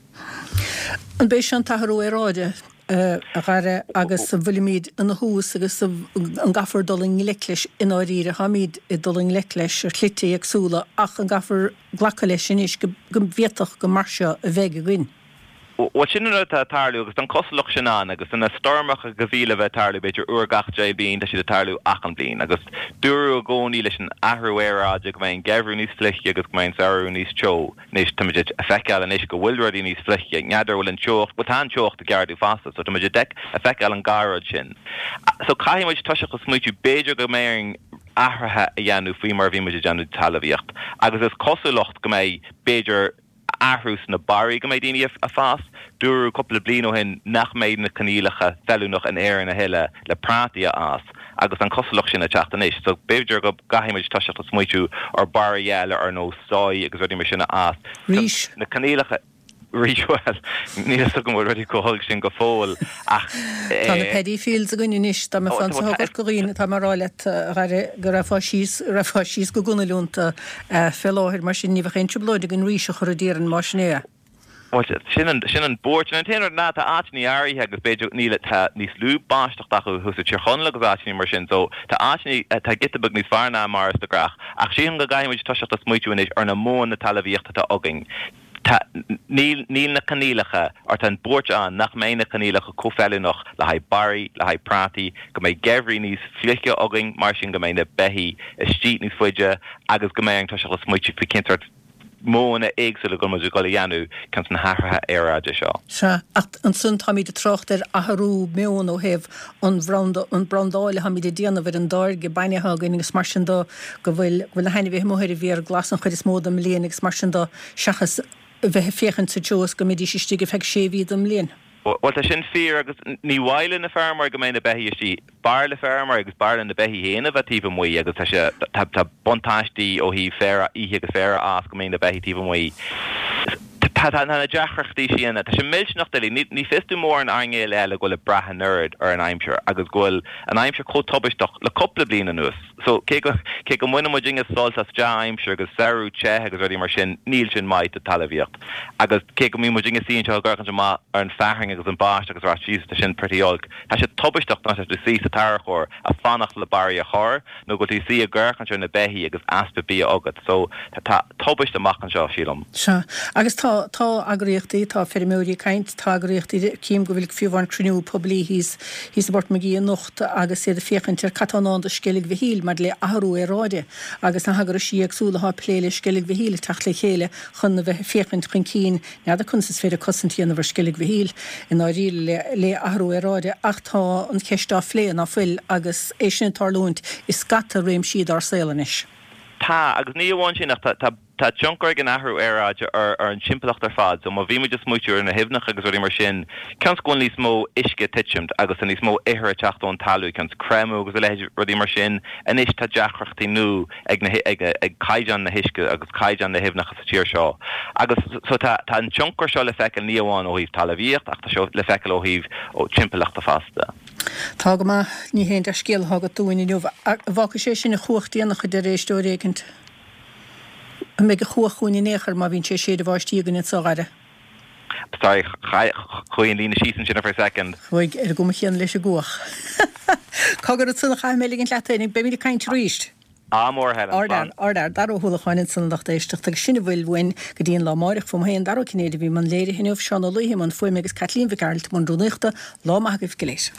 An b'é seo an t-athrú aeráide, a Dhara, agus an bhfuilimid ina thús agus an gcaithfear dul i ngleic leis i ndáiríre? Táimid ag dul i ngleic leis ar shlite éagsúla ach an gcaithfear glacadh leis anois go bhféadfadh go mar seo a bheidh againn? Bhuel, sin an rud atá ag tarlú agus tá an cosúlacht sin ann agus na stoirmeacha go bhí le bheith ag tarlú b'fhéidir uair gach 10 bliain, tá siad ag tarlú achan bliain agus dúradh i gcónaí leis an athrú aeráide go mbeidh an geimhreadh níos fliche agus go mbeidh an samhradh níos teo. Anois, tá muid ag feiceáil anois go bhfuil rudaí níos fliche, n'fheadar bhfuil an teocht, bhuel tá an teocht ag ardú fosta so tá muid ag feiceáil an dhá rud sin. So caithfidh muid toiseacht a smaoitiú, b'fhéidir go mbeidh orainn athruithe a dhéanamh faoi mar a bhí muid ag déanamh talmhaíocht agus is cosúlacht go mbeidh b'fhéidir athrú sna barraí go mbeidh daoine ag fás. Dúradh cúpla bliain ó shin nach mbeidh na coinníollacha feiliúnach in Éirinn a thuilleadh le prátaí a fhás agus an cosúlacht sin ag teacht anois. So b'fhéidir go gcaithfidh muid toiseacht a smaoitiú ar barraí eile ar nós soy agus rudaí mar sin a fhás. Rís. Na coinníollacha. Rís, bhuel, níl a fhios agam an bhfuil rudaí chomh holc sin go fóill ach. Tá na paddy fields againn anois, dá mbeifeá anso i gCorca Dhuibhne, tá mé a rá leat, a Dhara, go raghfá síos, raghfá síos go gunail iontu fé láthair, mar sin ní bheadh aon trioblóid againn rís a chur i dtír más sin é. Bhuel, sin an, sin an buairt. An t-aon rud ná tá áiteanna áirithe agus b'fhéidir níl, tá níos lú báisteachta acu thuas i Tír Chonaill agus áiteanna mar sin, so tá áiteanna, tá giota beag níos fearr ná mar is de ghnách. Ach sílim go gcaithfidh muid toiseacht a smaoitiú anois ar na modhanna talmhaíochta atá againn. Tá, níl, níl na coinníollacha, or tá an buairt ann nach mbeidh na coinníollacha chomh feiliúnach le haghaidh barraí, le haghaidh prátaí, go mbeidh geimhrí níos fliche againn, mar sin go mbeidh na beithígh istigh níos faide agus go mbeidh orainn toiseacht a smaoitiú faoi cén sórt modhanna éagsúla go bhfuil muid ag dul a dhéanamh cionn sna hathruithe aeráide seo. Sea, ach ansan táimid ag trácht ar athrú meoin ó thaobh an bhranda, an brandáil atáimid ag déanamh ar an dtáirge bainne atá againn agus mar sin do, go bhfuil, go bhfuil na hainmhithe amuigh ar an bhféar glas an chuid is mó den mbliain agus mar sin do, seachas a bheith ag féachaint sa treo is go mbeidís istigh ar feadh sé mhí den mbliain. Bhuel, tá sin fíor agus ní mhaith le na feirmeoirí go mbeidh na beithígh istigh. B'fhearr le feirmeoirí agus b'fhearr le na beithígh féin a bheith taobh amuigh agus tá sé, tá, tá buntáistí ó thaobh féar a ithe agus féar a fhás go mbeidh na beithígh taobh amuigh. Tá, tá na deacrachtaí sin, tá sé millteanach doiligh. Ní, ní fios dom mórán earnáil eile go bhfuil ag brath an oiread ar an aimsir agus go bhfuil an aimsir chomh tubaisteach le cúpla bliain anuas. So, cé go, cé go mbaineann muidinne sult as dea-aimsir agus samhradh te agus rudaí mar sin, níl sin maith do talmhaíocht. Agus cé go mbíonn muidinne ag suí anseo ag amharc amach ar an fearthainn agus an báisteach agus a rá Jesus tá sin pretty olc, tá sé tubaisteach nuair atá tú ag suí sa tarracóir ag fanacht le barraí a chur nó go bhfuil tú ag suí ag amharc ar na beithígh agus easpa bia agat. So, tá tubaiste amach anseo, sílim. Sea. Agus tá, tá eagraíochtaí, tá feirmeoirí ag caint, tá eagraíochtaí, cím go bhfuil fiú amháin cruinniú poiblí thíos, thíos i bPort Magee anocht, agus iad ag féachaint ar cad tá i ndán do Sceilg Mhichíl maidir le athrú aeráide agus na heagraisí éagsúla atá ag plé le Sceilg Mhichíl ag teacht le chéile chun a bheith ag féachaint chun cinn n'fheadar conas is féidir cosaint a dhéanamh ar Sceilg Mhichíl i ndáiríre le athrú aeráide ach tá an cheist á phlé ná fuil agus é sin ag tarlúint i scata réimsí dár saol anois. Tá, agus ní amháin sin ach tá Tá tionchar ag an athrú aeráide ar an timpeallacht ar fad so má bhí muid ag smaoitiú ar na haibhneacha agus rudaí mar sin, cionn is go bhfuil níos mó uisce ag titimt agus tá níos mó ithir ag teacht ón talamh, cionn is creimeadh agus a leithéid rudaí mar sin, anois tá deacrachtaí nua ag na ag ag caighdeán na huisce agus caighdeán na haibhneacha sa tír seo. Agus so tá tá an tionchar seo le feiceáil ní amháin ó thaobh talmhaíocht ach tá sé le feiceáil ó thaobh ó timpeallachta fosta. Tá go maith, ní haon dea-scéal atá agat dúinn inniu. An bhfágfaidh sé sin an chuach déanach a deir éisteoir éicint? An mbeidh an chuach chugainn in aon chor má bhíonn sé ag séideadh báistí againn anso, a Dhara? Sorry, chuaigh an líne síos ansin for a second. Chuaigh, ar an gcuma chéanna leis an gcuach. Cogar ansan a chaithfidh mé ligint leat féin, beimid ag caint arís. Ádh mór a Helen. Ardfhear, ardfhear, Dara Ó hUallacháin ansan a lucht éisteachta agus sin a bhfuil uainn go dtí an lá amáireach. Fúm féin, Dara Ó Cinnéide a bhí i mbun léirithe inniu, Seán Ó Laoithe i mbun fuaime agus Caitlín Mhic Gearailt i mbun rúnaíochta. Lá maith agaibh go léir.